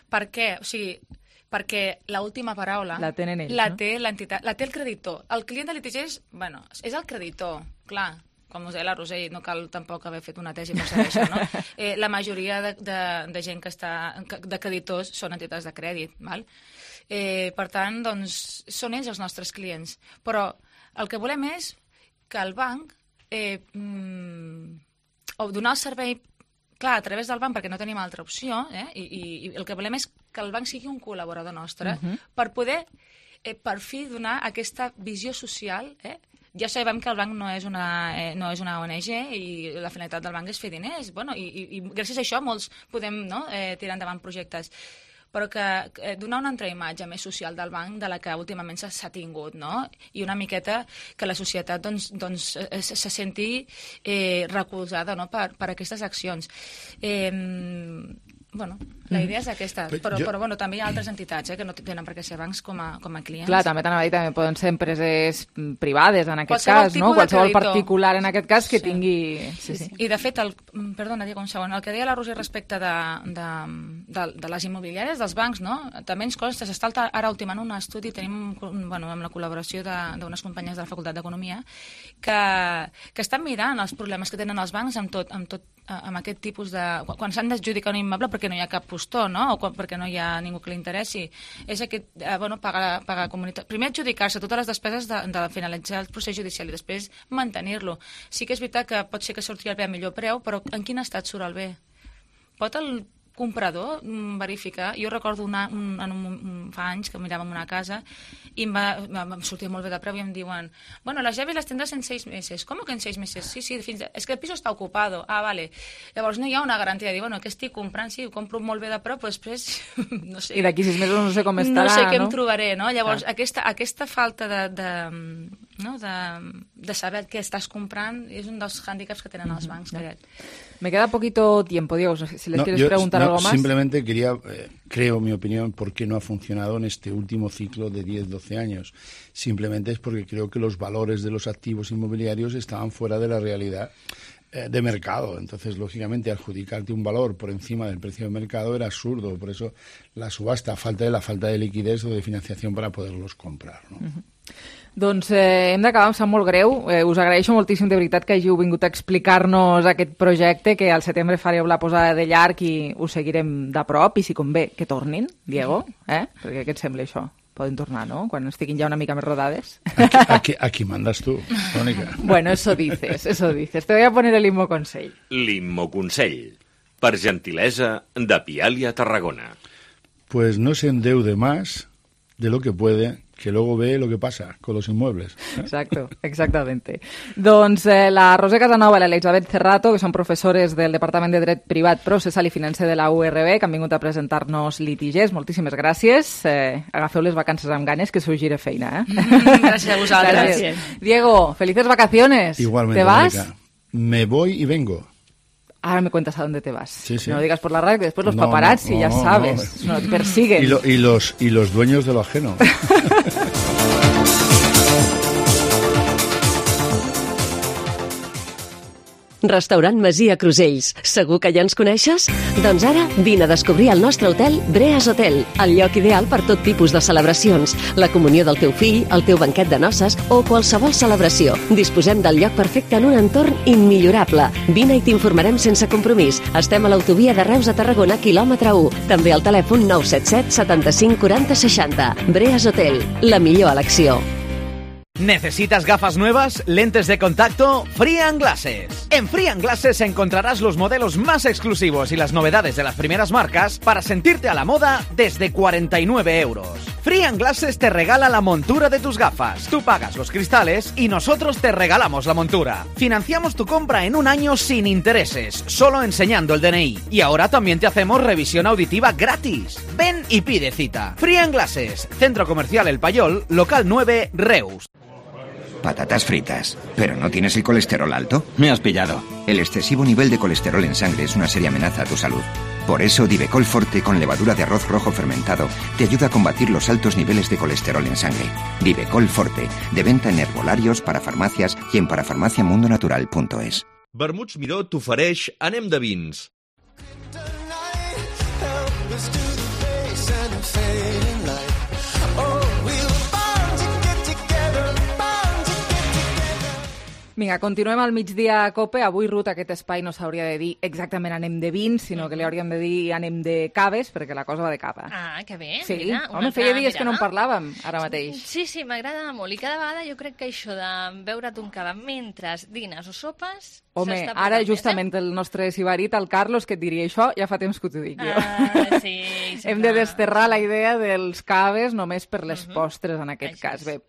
Per què? O sigui, perquè l'última paraula la tenen ells, la té l'entitat, la té el creditor. El client de litigis, bueno, és el creditor, clar. Com us deia la Roser, no cal tampoc haver fet una tesi per saber això, no? La majoria de gent que està de creditors són entitats de crèdit, val? Per tant, doncs, són ells els nostres clients. Però el que volem és que el banc o donar el servei clar, a través del banc, perquè no tenim altra opció, i el que volem és que el banc sigui un col·laborador nostre per poder, per fi, donar aquesta visió social. Ja sabem que el banc no és una ONG i la finalitat del banc és fer diners. Bueno, i gràcies a això molts podem tirar endavant projectes. Però que donar una altra imatge més social del banc de la que últimament s'ha tingut, no? I una miqueta que la societat se senti recolzada, no? per aquestes accions. Bueno, la idea és aquesta, però bueno, també hi ha altres entitats que no tenen per què ser bancs com a clients. Clar, també t'anava a dir, també poden ser empreses privades en aquest cas, no? Qualsevol particular en aquest cas que tingui... I de fet, perdona, Diego, un segon, el que deia la Roser respecte de les immobiliàries, dels bancs, no? També ens consta, s'està ara ultimant un estudi, tenim amb la col·laboració d'unes companyes de la Facultat d'Economia, que estan mirant els problemes que tenen els bancs amb tot amb aquest tipus de... Quan s'han d'adjudicar un immoble perquè no hi ha cap postor, no? O perquè no hi ha ningú que li interessi. És aquest, pagar comunitat. Primer adjudicar-se totes les despeses de finalitzar el procés judicial i després mantenir-lo. Sí que és veritat que pot ser que surti el bé a millor preu, però en quin estat surt el bé? Pot el comprador verificar? Jo recordo fa anys que miràvem una casa i em sortia molt bé de preu i em diuen, bueno, las llaves las tendrás en 6 meses. ¿Cómo que en 6 meses? Sí, es que el piso está ocupado. Ah, vale. Llavors no hi ha una garantia de dir, bueno, què estic comprant? Sí, ho compro molt bé de preu, però després, no sé. I d'aquí 6 mesos no sé com estarà, no sé què em trobaré, no? Llavors, aquesta falta de saber què estàs comprant és un dels hàndicaps que tenen els bancs, crec. Me queda poquito tiempo, Diego, si les quieres preguntar algo más. Simplemente creo mi opinión, por qué no ha funcionado en este último ciclo de 10-12 años. Simplemente es porque creo que los valores de los activos inmobiliarios estaban fuera de la realidad de mercado. Entonces, lógicamente, adjudicarte un valor por encima del precio de mercado era absurdo. Por eso la subhasta, la falta de liquidez o de financiación para poderlos comprar, ¿no? Doncs hem d'acabar, em sap molt greu. Us agraeixo moltíssim, de veritat, que hàgiu vingut a explicar-nos aquest projecte, que al setembre fareu la posada de llarg i ho seguirem de prop, i si convé, que tornin, Diego, perquè què et sembla això? Poden tornar, no?, quan estiguin ja una mica més rodades. Aquí mandas tú, Mónica. Bueno, eso dices. Te voy a poner el Immoconsell. L'Immoconsell, per gentilesa de Pialia Tarragona. Pues no se endeude más de lo que puede, que luego ve lo que pasa con los inmuebles. Exacto, exactamente. Doncs la Roser Casanova i l'Elisabet Cerrato, que són professores del Departament de Dret Privat, Processal i Financer de la URB, que han vingut a presentar-nos litigers. Moltíssimes gràcies. Agafeu les vacances amb ganes, que s'ho gire feina. Gràcies a vosaltres. Gràcies. Diego, felices vacaciones. Igualmente, ¿Te vas? Mónica. Me voy y vengo. Ahora me cuentas a dónde te vas. Sí. No lo digas por la radio, que después los paparazzi, ya sabes, no te persiguen. Y los dueños de lo ajeno. Restaurant Masia Crusells. Segur que ja ens coneixes? Doncs ara vine a descobrir el nostre hotel Breas Hotel, el lloc ideal per tot tipus de celebracions, la comunió del teu fill, el teu banquet de noces o qualsevol celebració. Disposem del lloc perfecte en un entorn immillorable. Vine i t'informarem sense compromís. Estem a l'autovia de Reus a Tarragona, quilòmetre 1. També al telèfon 977 75 40 60. Breas Hotel, la millor elecció. ¿Necesitas gafas nuevas? ¿Lentes de contacto? Free & Glasses. En Free & Glasses encontrarás los modelos más exclusivos y las novedades de las primeras marcas para sentirte a la moda desde 49 euros. Free & Glasses te regala la montura de tus gafas. Tú pagas los cristales y nosotros te regalamos la montura. Financiamos tu compra en un año sin intereses, solo enseñando el DNI. Y ahora también te hacemos revisión auditiva gratis. Ven y pide cita. Free & Glasses, Centro Comercial El Payol, local 9, Reus. Patatas fritas. ¿Pero no tienes el colesterol alto? Me has pillado. El excesivo nivel de colesterol en sangre es una seria amenaza a tu salud. Por eso, Divecol Forte con levadura de arroz rojo fermentado te ayuda a combatir los altos niveles de colesterol en sangre. Divecol Forte, de venta en herbolarios, parafarmàcies i en parafarmàciamundonatural.es. Vermuts Miró t'ofereix Anem de vins. Vinga, continuem al migdia a COPE. Avui, Ruth, aquest espai no s'hauria de dir exactament anem de vins, sinó que li hauríem de dir anem de caves, perquè la cosa va de cava. Ah, que bé. Sí, mira, home, feia dies que no en parlàvem, ara mateix. Sí, m'agrada molt. I cada vegada jo crec que això de beure't un cava mentre dines o sopes... Home, ara justament el nostre sibarit, el Carlos, que et diria això, ja fa temps que t'ho dic jo. Sí, Hem de desterrar la idea dels caves només per les postres, en aquest cas. Bé,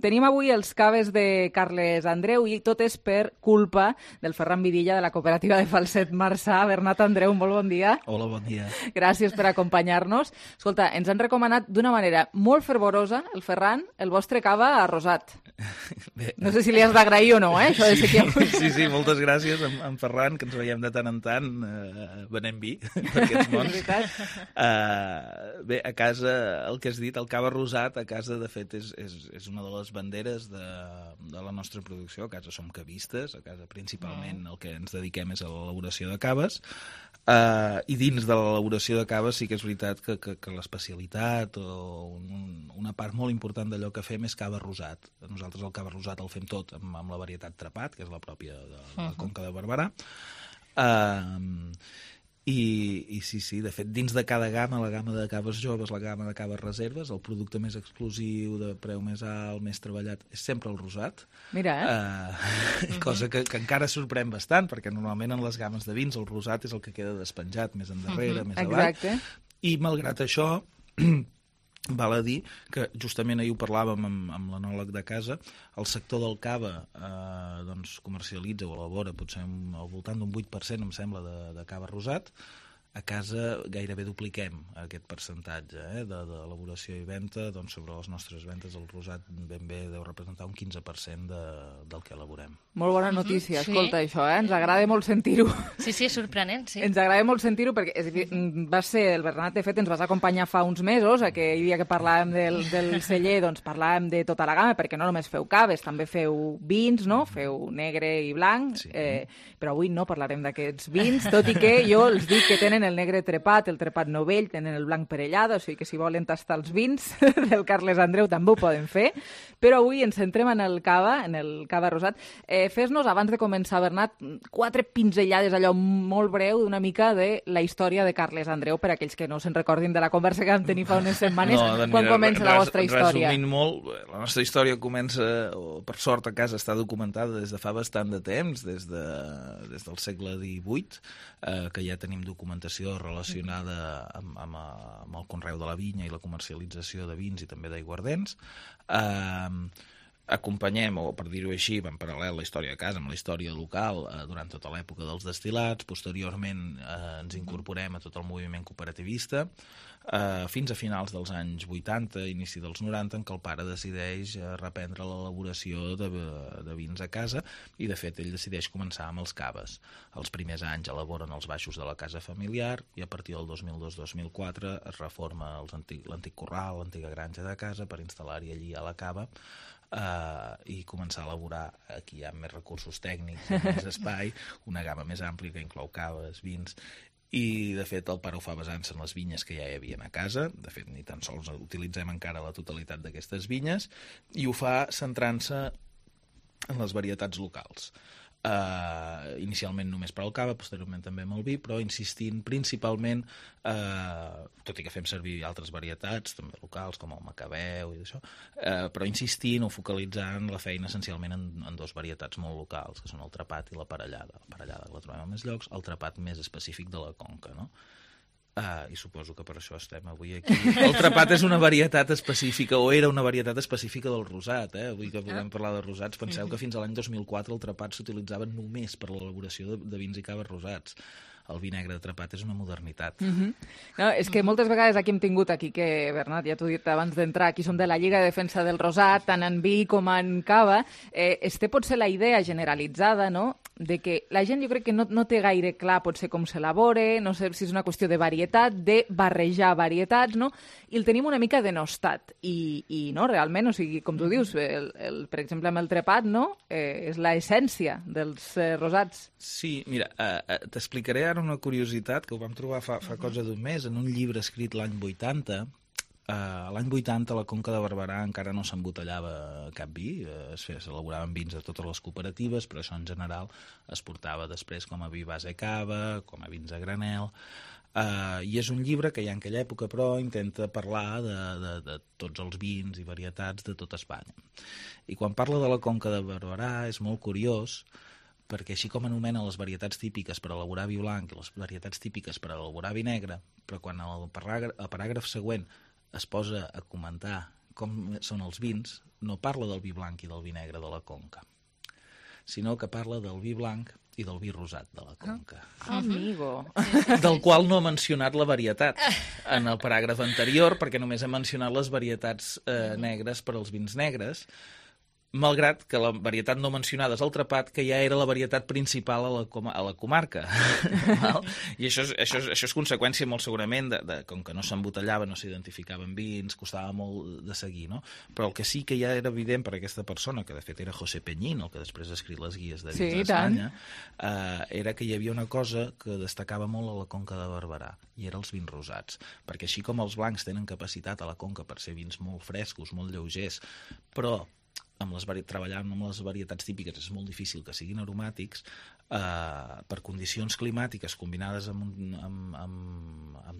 tenim avui els caves de Carles Andreu i tot és per culpa del Ferran Vidilla de la cooperativa de Falset Marçà. Bernat Andreu, molt bon dia. Hola, bon dia. Gràcies per acompanyar-nos. Escolta, ens han recomanat d'una manera molt fervorosa, el Ferran, el vostre cava arrosat. Bé. No sé si li has d'agrair o no, això de ser que... Sí, moltes gràcies en Ferran, que ens veiem de tant en tant venent vi per aquests mons. Bé, a casa, el que has dit, el cava rosat, a casa, de fet, és una de les banderes de la nostra producció. A casa som cavistes, a casa principalment el que ens dediquem és a l'elaboració de caves, i dins de l'elaboració de caves sí que és veritat que l'especialitat o una part molt important d'allò que fem és cava rosat. Nosaltres el cava rosat el fem tot amb la varietat Trepat, que és la pròpia de la Conca de Barberà. I sí, de fet, dins de cada gamma, la gamma de caves joves, la gamma de caves reserves, el producte més exclusiu, de preu més alt, més treballat, és sempre el rosat. Mira, cosa que encara sorprèn bastant, perquè normalment en les gammes de vins el rosat és el que queda despenjat més endarrere, més avall. Exacte. I malgrat això, val a dir que justament ahir ho parlàvem amb l'enòleg de casa, el sector del cava comercialitza o elabora potser al voltant d'un 8%, em sembla, de cava rosat. A casa gairebé dupliquem aquest percentatge d'elaboració i venda. Doncs sobre les nostres vendes el rosat ben bé deu representar un 15% del que elaborem. Molt bona notícia, escolta, això, ens agrada molt sentir-ho. Sí, és sorprenent, sí. Ens agrada molt sentir-ho perquè el Bernat, de fet, ens vas acompanyar fa uns mesos, aquell dia que parlàvem del celler, doncs parlàvem de tota la gamma, perquè no només feu caves, també feu vins, no? Feu negre i blanc, però avui no parlarem d'aquests vins, tot i que jo els dic que tenen el negre trepat, el trepat novell, tenen el blanc perellada, o sigui que si volen tastar els vins del Carles Andreu també ho poden fer, però avui ens centrem en el cava rosat. Fes-nos, abans de començar, Bernat, 4 pinzellades, allò molt breu, d'una mica de la història de Carles Andreu, per aquells que no se'n recordin de la conversa que vam tenir fa unes setmanes, quan comença la vostra història. Resumint molt, la nostra història comença, per sort a casa està documentada des de fa bastant de temps, des del segle XVIII, que ja tenim documentació relacionada amb el conreu de la vinya i la comercialització de vins i també d'aiguardents. Acompanyem, o per dir-ho així, en paral·lel la història de casa amb la història local durant tota l'època dels destil·lats. Posteriorment ens incorporem a tot el moviment cooperativista fins a finals dels anys 80, inici dels 90, en què el pare decideix reprendre l'elaboració de vins a casa i, de fet, ell decideix començar amb els caves. Els primers anys elaboren els baixos de la casa familiar i a partir del 2002-2004 es reforma l'antic corral, l'antiga granja de casa per instal·lar-hi allí a la cava i començar a elaborar, aquí hi ha més recursos tècnics, més espai, una gamma més àmplia que inclou caves, vins, i de fet el pare ho fa basant-se en les vinyes que ja hi havia a casa. De fet ni tan sols utilitzem encara la totalitat d'aquestes vinyes, i ho fa centrant-se en les varietats locals. Inicialment només per al cava, posteriorment també amb el vi, però insistint principalment, tot i que fem servir altres varietats també locals com el macabeu i això, però insistint o focalitzant la feina essencialment en dos varietats molt locals, que són el trepat i la parellada. La parellada la trobem a més llocs, el trepat més específic de la conca, no? I suposo que per això estem avui aquí. El trepat és una varietat específica, o era una varietat específica del rosat. Avui que podem parlar de rosats, penseu que fins a l'any 2004 el trepat s'utilitzava només per l'elaboració de vins i caves rosats. El vi negre de trepat és una modernitat. No, és que moltes vegades aquí hem tingut que, Bernat, ja t'ho he dit abans d'entrar, aquí som de la Lliga de Defensa del Rosat, tant en vi com en cava. Té potser la idea generalitzada, no?, de que la gent jo crec que no té gaire clar potser com s'elabora, no sé si és una qüestió de varietat, de barrejar varietats, no?, i el tenim una mica denostat. I no, realment, o sigui, com tu dius, per exemple, amb el trepat, no?, és l'essència dels rosats. Sí, mira, t'explicaré ara una curiositat que ho vam trobar fa cosa d'un mes en un llibre escrit l'any 80. L'any 80 a la Conca de Barberà encara no s'embotellava cap vi, s'elaboraven vins a totes les cooperatives, però això en general es portava després com a vi base cava, com a vins a granel, i és un llibre que ja en aquella època però intenta parlar de tots els vins i varietats de tot Espanya. I quan parla de la Conca de Barberà és molt curiós, perquè així com anomena les varietats típiques per elaborar vi blanc i les varietats típiques per elaborar vi negre, però quan el paràgraf següent es posa a comentar com són els vins, no parla del vi blanc i del vi negre de la Conca, sinó que parla del vi blanc i del vi rosat de la Conca. Amigo! Del qual no ha mencionat la varietat en el paràgraf anterior, perquè només ha mencionat les varietats negres per als vins negres, malgrat que la varietat no mencionada és el trepat, que ja era la varietat principal a la comarca. I això és conseqüència molt segurament de com que no s'embotellava, no s'identificaven vins, costava molt de seguir, no? Però el que sí que ja era evident per aquesta persona, que de fet era José Peñín, el que després ha escrit les guies de vins d'Espanya, era que hi havia una cosa que destacava molt a la Conca de Barberà, i eren els vins rosats. Perquè així com els blancs tenen capacitat a la Conca per ser vins molt frescos, molt lleugers, però treballant amb les varietats típiques és molt difícil que siguin aromàtics, per condicions climàtiques combinades amb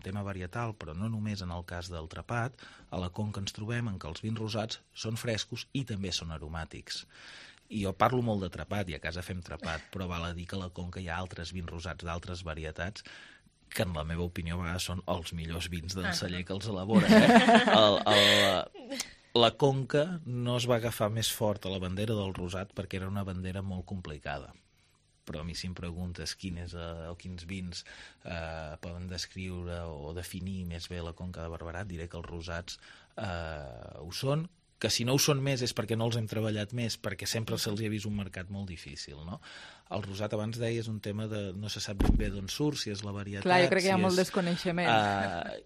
tema varietal, però no només en el cas del trepat, a la Conca ens trobem en què els vins rosats són frescos i també són aromàtics. I jo parlo molt de trepat, i a casa fem trepat, però val a dir que a la Conca hi ha altres vins rosats d'altres varietats que en la meva opinió a vegades són els millors vins del celler que els elabora. La Conca no es va agafar més fort a la bandera del rosat perquè era una bandera molt complicada. Però a mi si em preguntes quins vins poden descriure o definir més bé la Conca de Barberà, diré que els rosats ho són, que si no ho són més és perquè no els hem treballat més, perquè sempre se'ls ha vist un mercat molt difícil, no? El rosat, abans deia, és un tema de no se sap ben bé d'on surt, si és la varietat... Clar, jo crec que hi ha molt desconeixement.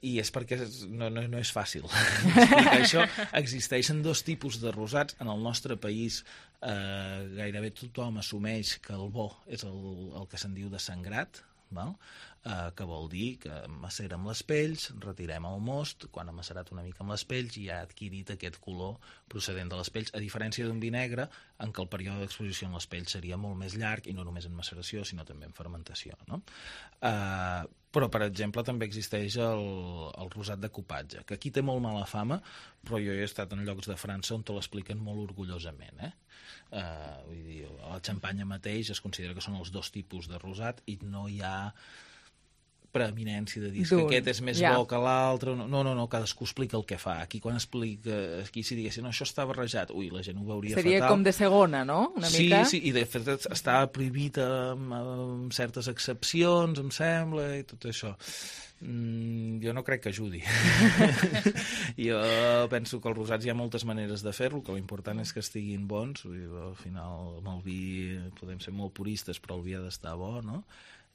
I és perquè no és fàcil explicar això. Existeixen dos tipus de rosats. En el nostre país gairebé tothom assumeix que el bo és el que se'n diu de sangrat, val? Que vol dir que macera amb les pells, retirem el most, quan ha macerat una mica amb les pells i ha adquirit aquest color procedent de les pells, a diferència d'un vi negre en què el període d'exposició en les pells seria molt més llarg i no només en maceració sinó també en fermentació, no? Però, per exemple, també existeix el rosat de cupatge, que aquí té molt mala fama, però jo he estat en llocs de França on te l'expliquen molt orgullosament, vull dir, la xampanya mateix es considera que són els dos tipus de rosat i no hi ha preeminència de dir que aquest és més bo que l'altre. No, cadascú explica el que fa. Aquí quan explica, aquí si diguessin, no, això està barrejat, ui, la gent ho veuria fatal. Seria com de segona, no? Una mica. Sí, i de fet està prohibit amb certes excepcions, em sembla, i tot això. Jo no crec que ajudi. Jo penso que els rosats hi ha moltes maneres de fer-lo, que l'important és que estiguin bons. Al final, amb el vi podem ser molt puristes, però el vi ha d'estar bo, no?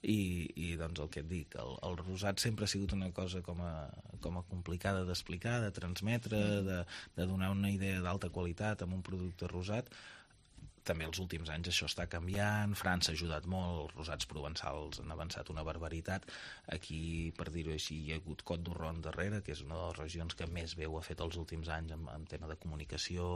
I doncs el que et dic, el rosat sempre ha sigut una cosa com a complicada d'explicar, de transmetre, de donar una idea d'alta qualitat amb un producte rosat. També els últims anys això està canviant, França ha ajudat molt, els rosats provençals han avançat una barbaritat. Aquí, per dir-ho així, hi ha hagut Côte d'Orron darrere, que és una de les regions que més bé ho ha fet els últims anys en tema de comunicació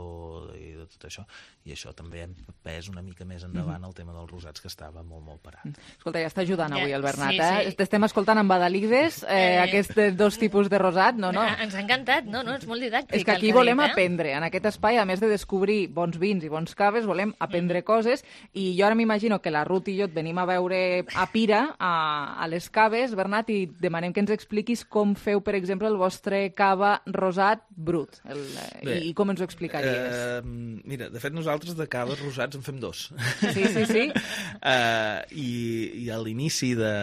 i de tot això, i això també ha empès una mica més endavant el tema dels rosats, que estava molt, molt parat. Escolta, ja està ajudant avui el Bernat, eh? T'estem escoltant amb badalides, aquests dos tipus de rosat, no? Ens ha encantat, no? És molt didàctic. És que aquí volem aprendre, en aquest espai, a més de descobrir bons vins i bons caves, volem aprendre coses, i jo ara m'imagino que la Ruth i jo et venim a veure a Pira, a les caves, Bernat, i demanem que ens expliquis com feu, per exemple, el vostre cava rosat brut, i com ens ho explicaries. Mira, de fet nosaltres de caves rosats en fem dos. Sí. I a l'inici de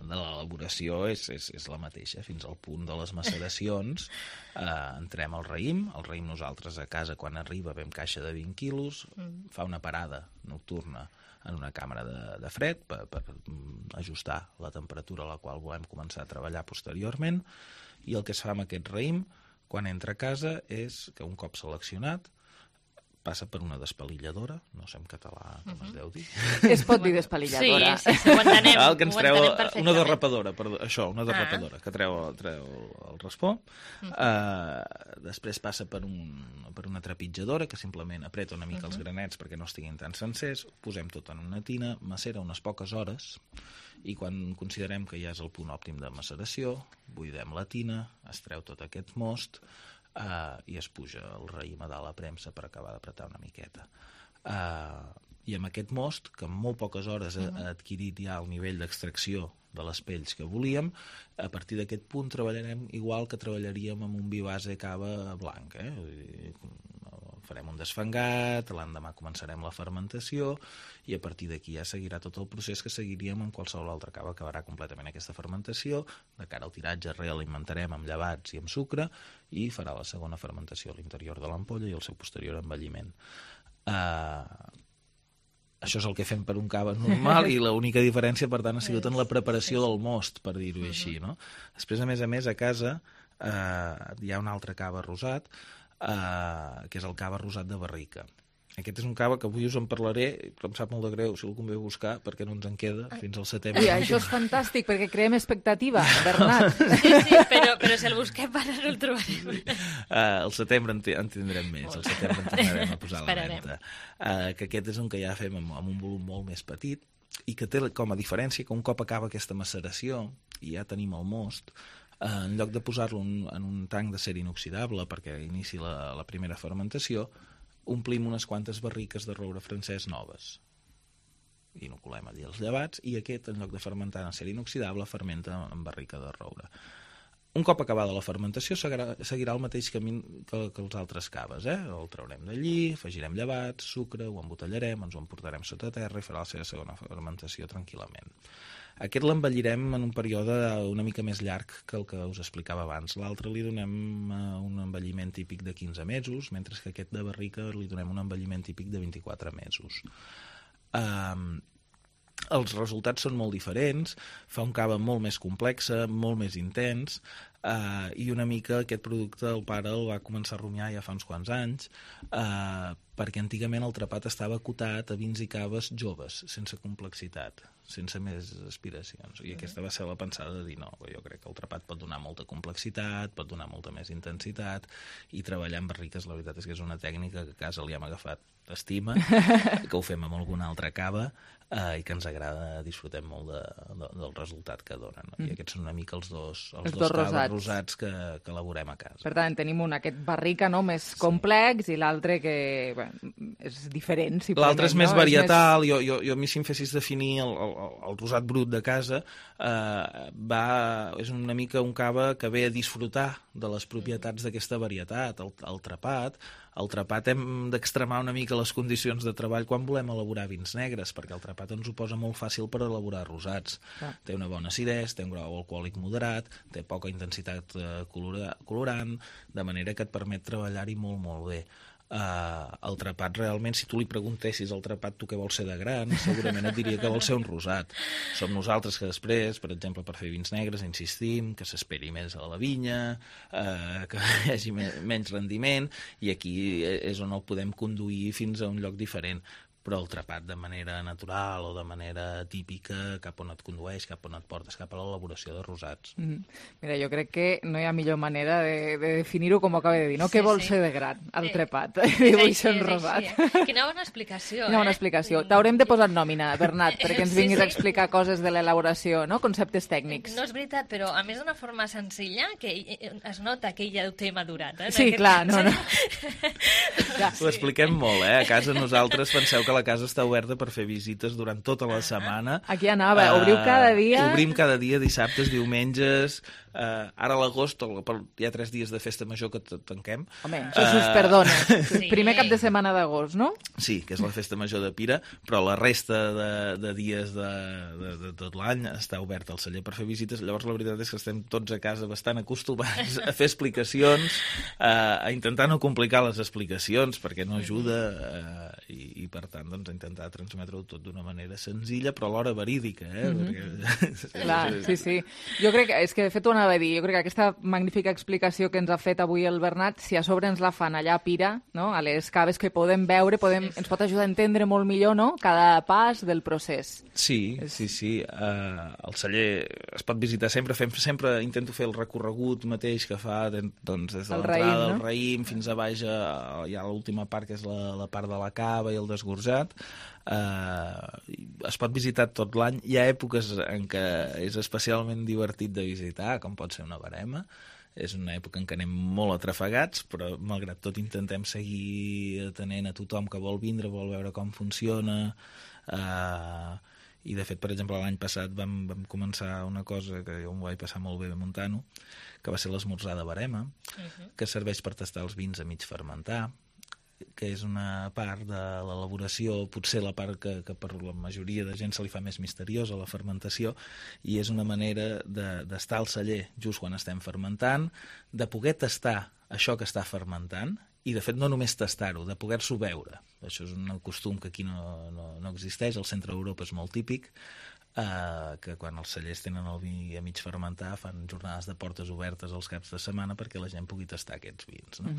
l'elaboració és la mateixa, fins al punt de les maceracions. Entrem al raïm nosaltres a casa quan arriba vam caixa de 20 quilos, fa una parada nocturna en una càmera de fred per ajustar la temperatura a la qual volem començar a treballar posteriorment, i el que es fa amb aquest raïm quan entra a casa és que un cop seleccionat passa per una despalilladora, no sé en català com es deu dir. Es pot dir despalilladora. Sí, ho entenem. Que ens treu una derrapadora, que treu el raspó. Després passa per una trepitjadora que simplement apreta una mica els granets perquè no estiguin tan sencers, posem tot en una tina, macera unes poques hores, i quan considerem que ja és el punt òptim de maceració, buidem la tina, es treu tot aquest most, i es puja el raïm a dalt a premsa per acabar d'apretar una miqueta. I amb aquest most, que en molt poques hores ha adquirit ja el nivell d'extracció de les pells que volíem, a partir d'aquest punt treballarem igual que treballaríem amb un vi base cava blanc. Farem un desfangat, l'endemà començarem la fermentació, i a partir d'aquí ja seguirà tot el procés que seguiríem amb qualsevol altra cava. Acabarà completament aquesta fermentació, de cara al tiratge realimentarem amb llevats i amb sucre, i farà la segona fermentació a l'interior de l'ampolla i el seu posterior envelliment. Això és el que fem per un cava normal, i l'única diferència, per tant, ha sigut en la preparació del most, per dir-ho així, no? Després, a més, a casa hi ha un altre cava rosat, que és el cava rosat de barrica. Aquest és un cava que avui us en parlaré, però em sap molt de greu si algú ve a buscar, perquè no ens en queda fins al setembre. I això és fantàstic, perquè creem expectativa, Bernat. Sí, però si el busquem ara no el trobarem. Al setembre en tindrem més, al setembre en tornarem a posar a la venda. Que aquest és un que ja fem amb un volum molt més petit, i que té com a diferència que un cop acaba aquesta maceració, i ja tenim el most, en lloc de posar-lo en un tanc d'acer inoxidable perquè inici la primera fermentació, omplim unes quantes barriques de roure francès noves. Inoculem allí els llevats i aquest, en lloc de fermentar en acer inoxidable, fermenta en barrica de roure. Un cop acabada la fermentació seguirà el mateix camí que els altres caves. El traurem d'allí, afegirem llevats, sucre, ho embotellarem, ens ho emportarem sota terra i farà la seva segona fermentació tranquil·lament. Aquest l'envellirem en un període una mica més llarg que el que us explicava abans. L'altre li donem un envelliment típic de 15 mesos, mentre que aquest de barrica li donem un envelliment típic de 24 mesos. Els resultats són molt diferents, fa un cava molt més complex, molt més intens, i una mica aquest producte el pare el va començar a rumiar ja fa uns quants anys, perquè antigament el trepat estava acotat a vins i caves joves, sense complexitat, sense més aspiracions. I aquesta va ser la pensada de dir no, jo crec que el trepat pot donar molta complexitat, pot donar molta més intensitat, i treballar amb barriques, la veritat és que és una tècnica que a casa li hem agafat estima, que ho fem amb alguna altra cava, i que ens agrada, disfrutem molt del resultat que donen. I aquests són una mica els dos caves rosats que elaborem a casa. Per tant, tenim aquest barrica més complex i l'altre que és diferent. L'altre és més varietal. Jo a mi, si em fessis definir el rosat brut de casa, és una mica un cava que ve a disfrutar de les propietats d'aquesta varietat, el trepat. El trepat hem d'extremar una mica les condicions de treball quan volem elaborar vins negres, perquè el trepat ens ho posa molt fàcil per elaborar rosats. Té una bona acidesa, té un grau alcohòlic moderat, té poca intensitat colorant, de manera que et permet treballar-hi molt, molt bé. El trepat realment, si tu li preguntessis al trepat tu què vols ser de gran, segurament et diria que vols ser un rosat. Som nosaltres que després, per exemple, per fer vins negres insistim que s'esperi més a la vinya, que hi hagi menys rendiment, i aquí és on el podem conduir fins a un lloc diferent. Però el trepat de manera natural o de manera típica, cap on et condueix, cap on et portes, cap a l'elaboració de rosats. Mira, jo crec que no hi ha millor manera de definir-ho com ho acaba de dir, no? Què vol ser de gran, el trepat? Vull ser un rosat. Quina bona explicació, Quina bona explicació. T'haurem de posar nòmina, Bernat, perquè ens vinguis a explicar coses de l'elaboració, no? Conceptes tècnics. No és veritat, però a més d'una forma senzilla, que es nota que ja ho té madurat. Sí, clar, no. Ho expliquem molt, A casa nosaltres penseu que la casa està oberta per fer visites durant tota la setmana. Aquí anava, obriu cada dia? Obrim cada dia, dissabtes, diumenges. Ara a l'agost hi ha 3 dies de festa major que tanquem. Home, això us perdona. Primer cap de setmana d'agost, no? Sí, que és la festa major de Pira, però la resta de dies de tot l'any està obert al celler per fer visites. Llavors la veritat és que estem tots a casa bastant acostumats a fer explicacions, a intentar no complicar les explicacions perquè no ajuda, i per tant doncs, intentar transmetre-ho tot d'una manera senzilla però alhora verídica. Clar, sí. Jo crec que és que de fet ho anava a dir, jo crec que aquesta magnífica explicació que ens ha fet avui el Bernat, si a sobre ens la fan allà a Pira, no? A les caves que podem veure, ens pot ajudar a entendre molt millor, no? Cada pas del procés. Sí. El celler es pot visitar sempre, intento fer el recorregut mateix que fa doncs, des de l'entrada del raïm fins a baix, hi ha l'última part que és la part de la cava i el desgorjat. Es pot visitar tot l'any. Hi ha èpoques en què és especialment divertit de visitar, com pot ser una verema. És una època en què anem molt atrafegats, però malgrat tot intentem seguir atenent a tothom que vol vindre, vol veure com funciona. I de fet, per exemple, l'any passat vam començar una cosa que jo m'ho vaig passar molt bé muntant-ho, que va ser l'esmorzar de verema, que serveix per tastar els vins a mig fermentar, que és una part de l'elaboració, potser la part que per la majoria de gent se li fa més misteriosa, la fermentació, i és una manera d'estar al celler just quan estem fermentant, de poder tastar això que està fermentant, i de fet no només tastar-ho, de poder-s'ho veure. Això és un costum que aquí no existeix, al centre d'Europa és molt típic, que quan els cellers tenen el vi a mig fermentar fan jornades de portes obertes els caps de setmana perquè la gent pugui tastar aquests vins, no?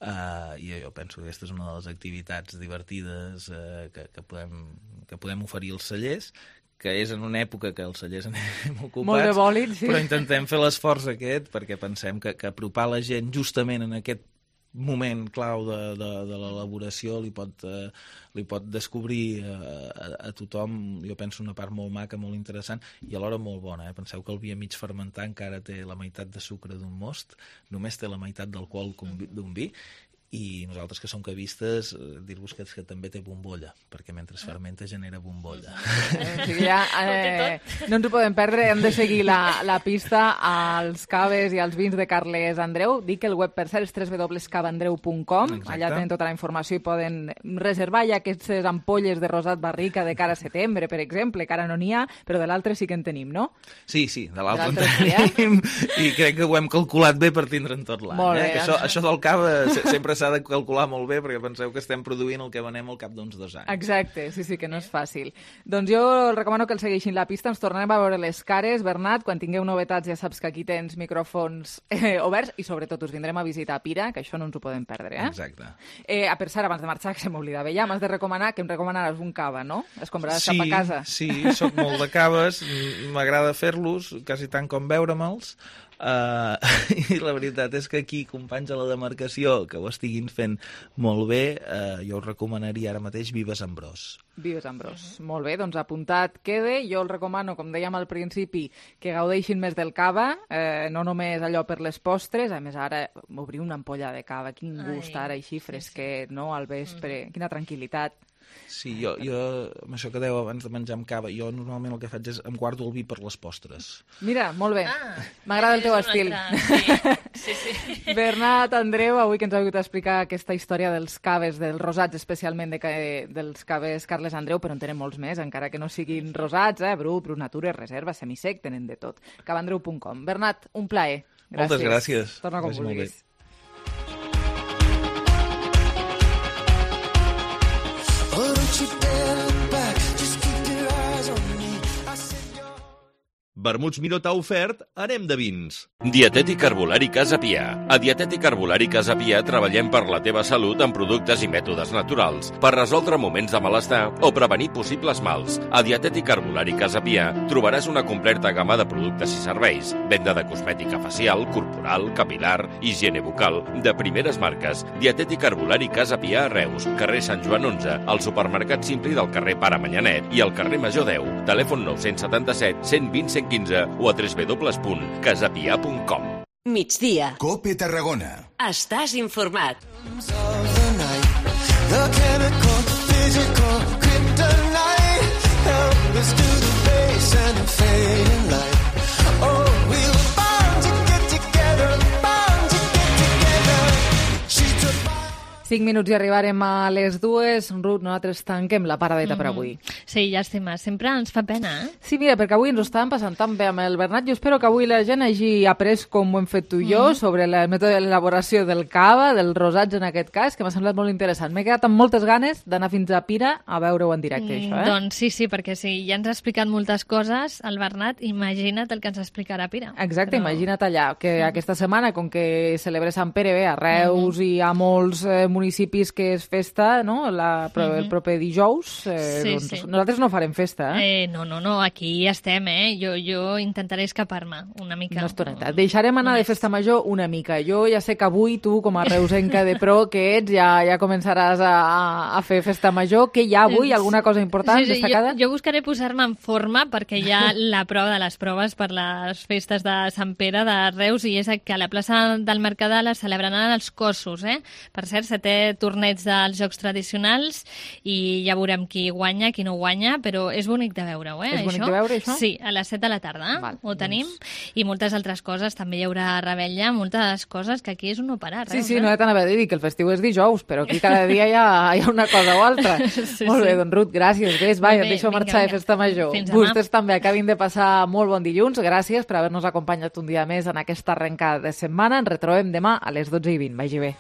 i jo penso que aquesta és una de les activitats divertides que podem oferir als cellers, que és en una època que els cellers anem ocupats, molt de bòlit, sí. Però intentem fer l'esforç aquest perquè pensem que apropar la gent justament en aquest moment clau de l'elaboració li pot descobrir a tothom, jo penso, una part molt maca, molt interessant i alhora molt bona. Penseu que el vi a mig fermentar encara té la meitat de sucre d'un most, només té la meitat d'alcohol d'un vi, i nosaltres que som cavistes, dir-vos que també té bombolla, perquè mentre es fermenta genera bombolla. O sigui, no ens ho podem perdre, hem de seguir la pista als caves i als vins de Carles Andreu. Dic que el web, per cert, és www.cavandreu.com, allà tenen tota la informació i poden reservar ja aquestes ampolles de rosat barrica de cara a setembre, per exemple, que ara no n'hi ha, però de l'altre sí que en tenim, no? Sí, de l'altre en tenim, i crec que ho hem calculat bé per tindre'n tot l'any. Això del cava sempre s'ha de calcular molt bé, perquè penseu que estem produint el que venem al cap d'uns 2 anys. Exacte, sí, que no és fàcil. Doncs jo recomano que el segueixin la pista, ens tornarem a veure les cares. Bernat, quan tingueu novetats ja saps que aquí tens micròfons oberts i sobretot us vindrem a visitar a Pira, que això no ens ho podem perdre, Exacte. Per cert, abans de marxar, que se m'oblidava ja, m'has de recomanar que em recomanaràs un cava, no? Es compraràs cap a casa. Sí, soc molt de caves, m'agrada fer-los, quasi tant com beure-me'ls, i la veritat és que aquí, companys a la demarcació que ho estiguin fent molt bé, jo us recomanaria ara mateix Vives Ambrós. Vives Ambrós. Molt bé, doncs apuntat quede. Jo el recomano, com dèiem al principi, que gaudeixin més del cava, no només allò per les postres, a més ara obrir una ampolla de cava, quin gust ara així fresquet, no? Al vespre, quina tranquil·litat. Sí, jo, amb això que dèieu abans de menjar amb cava, jo normalment el que faig és em guardo el vi per les postres. Mira, molt bé. M'agrada el teu estil. Sí. Bernat, Andreu, avui que ens heu explicar aquesta història dels caves, dels rosats, especialment dels caves Carles Andreu, però en tenen molts més, encara que no siguin rosats, Brut Natura, Reserva, Semisec, tenen de tot. cavandreu.com. Bernat, un plaer. Moltes gràcies. Torna com vulguis. Vermuts Miró t'ha ofert Anem de vins. Dietètic Herbolari Casa Pià. A Dietètic Herbolari Casa Pià treballem per la teva salut amb productes i mètodes naturals, per resoldre moments de malestar o prevenir possibles mals. A Dietètic Herbolari Casa Pià trobaràs una completa gamma de productes i serveis, venda de cosmètica facial, corporal, capilar, higiene bucal, de primeres marques. Dietètic Herbolari Casa Pià a Reus, carrer Sant Joan 11, al supermercat Simpli del carrer Pare Manyanet i al carrer Major 10. Telèfon 977 120 115 o a www.casapia.com. Migdia. COPE Tarragona. Estàs informat. Cinc minuts i arribarem a les 2. Ruth, nosaltres tanquem la paradeta per avui. Sí, llàstima. Sempre ens fa pena, Sí, mira, perquè avui ens ho estàvem passant tan bé amb el Bernat. Jo espero que avui la gent hagi après, com ho hem fet tu i jo, sobre el mètode d'elaboració del cava, dels rosats en aquest cas, que m'ha semblat molt interessant. M'he quedat amb moltes ganes d'anar fins a Pira a veure-ho en directe, això, Doncs sí, perquè si ja ens ha explicat moltes coses, el Bernat, imagina't el que ens explicarà a Pira. Exacte, imagina't allà, que aquesta setmana, com que celebra Sant Pere, bé, a Reus i a molts municipis que és festa, no?, el proper dijous, doncs nosaltres no farem festa, No, aquí estem, Jo intentaré escapar-me una mica. Una estoneta. Deixarem anar de festa major una mica. Jo ja sé que avui tu, com a reusenca de pro que ets, ja començaràs a fer festa major. Què hi ha avui? Alguna cosa important, destacada? Jo buscaré posar-me en forma perquè hi ha la prova de les proves per les festes de Sant Pere de Reus i és que a la plaça del Mercadal es celebraran els cossos, Per cert, 7è torneig dels Jocs Tradicionals i ja veurem qui guanya, qui no guanya, però és bonic de veure-ho, És bonic de veure, això? Sí, a les 7 de la tarda ho tenim, i moltes altres coses, també hi haurà rebella, moltes coses que aquí és un no parar. Sí, no he t'anava a dir que el festiu és dijous, però aquí cada dia hi ha una cosa o altra. Molt bé, doncs Ruth, gràcies. Ves, et deixo marxar de festa major. Vostès també acabin de passar molt bon dilluns. Gràcies per haver-nos acompanyat un dia més en aquesta arrencada de setmana. Ens retrobem demà a les 12:20. Vagi bé.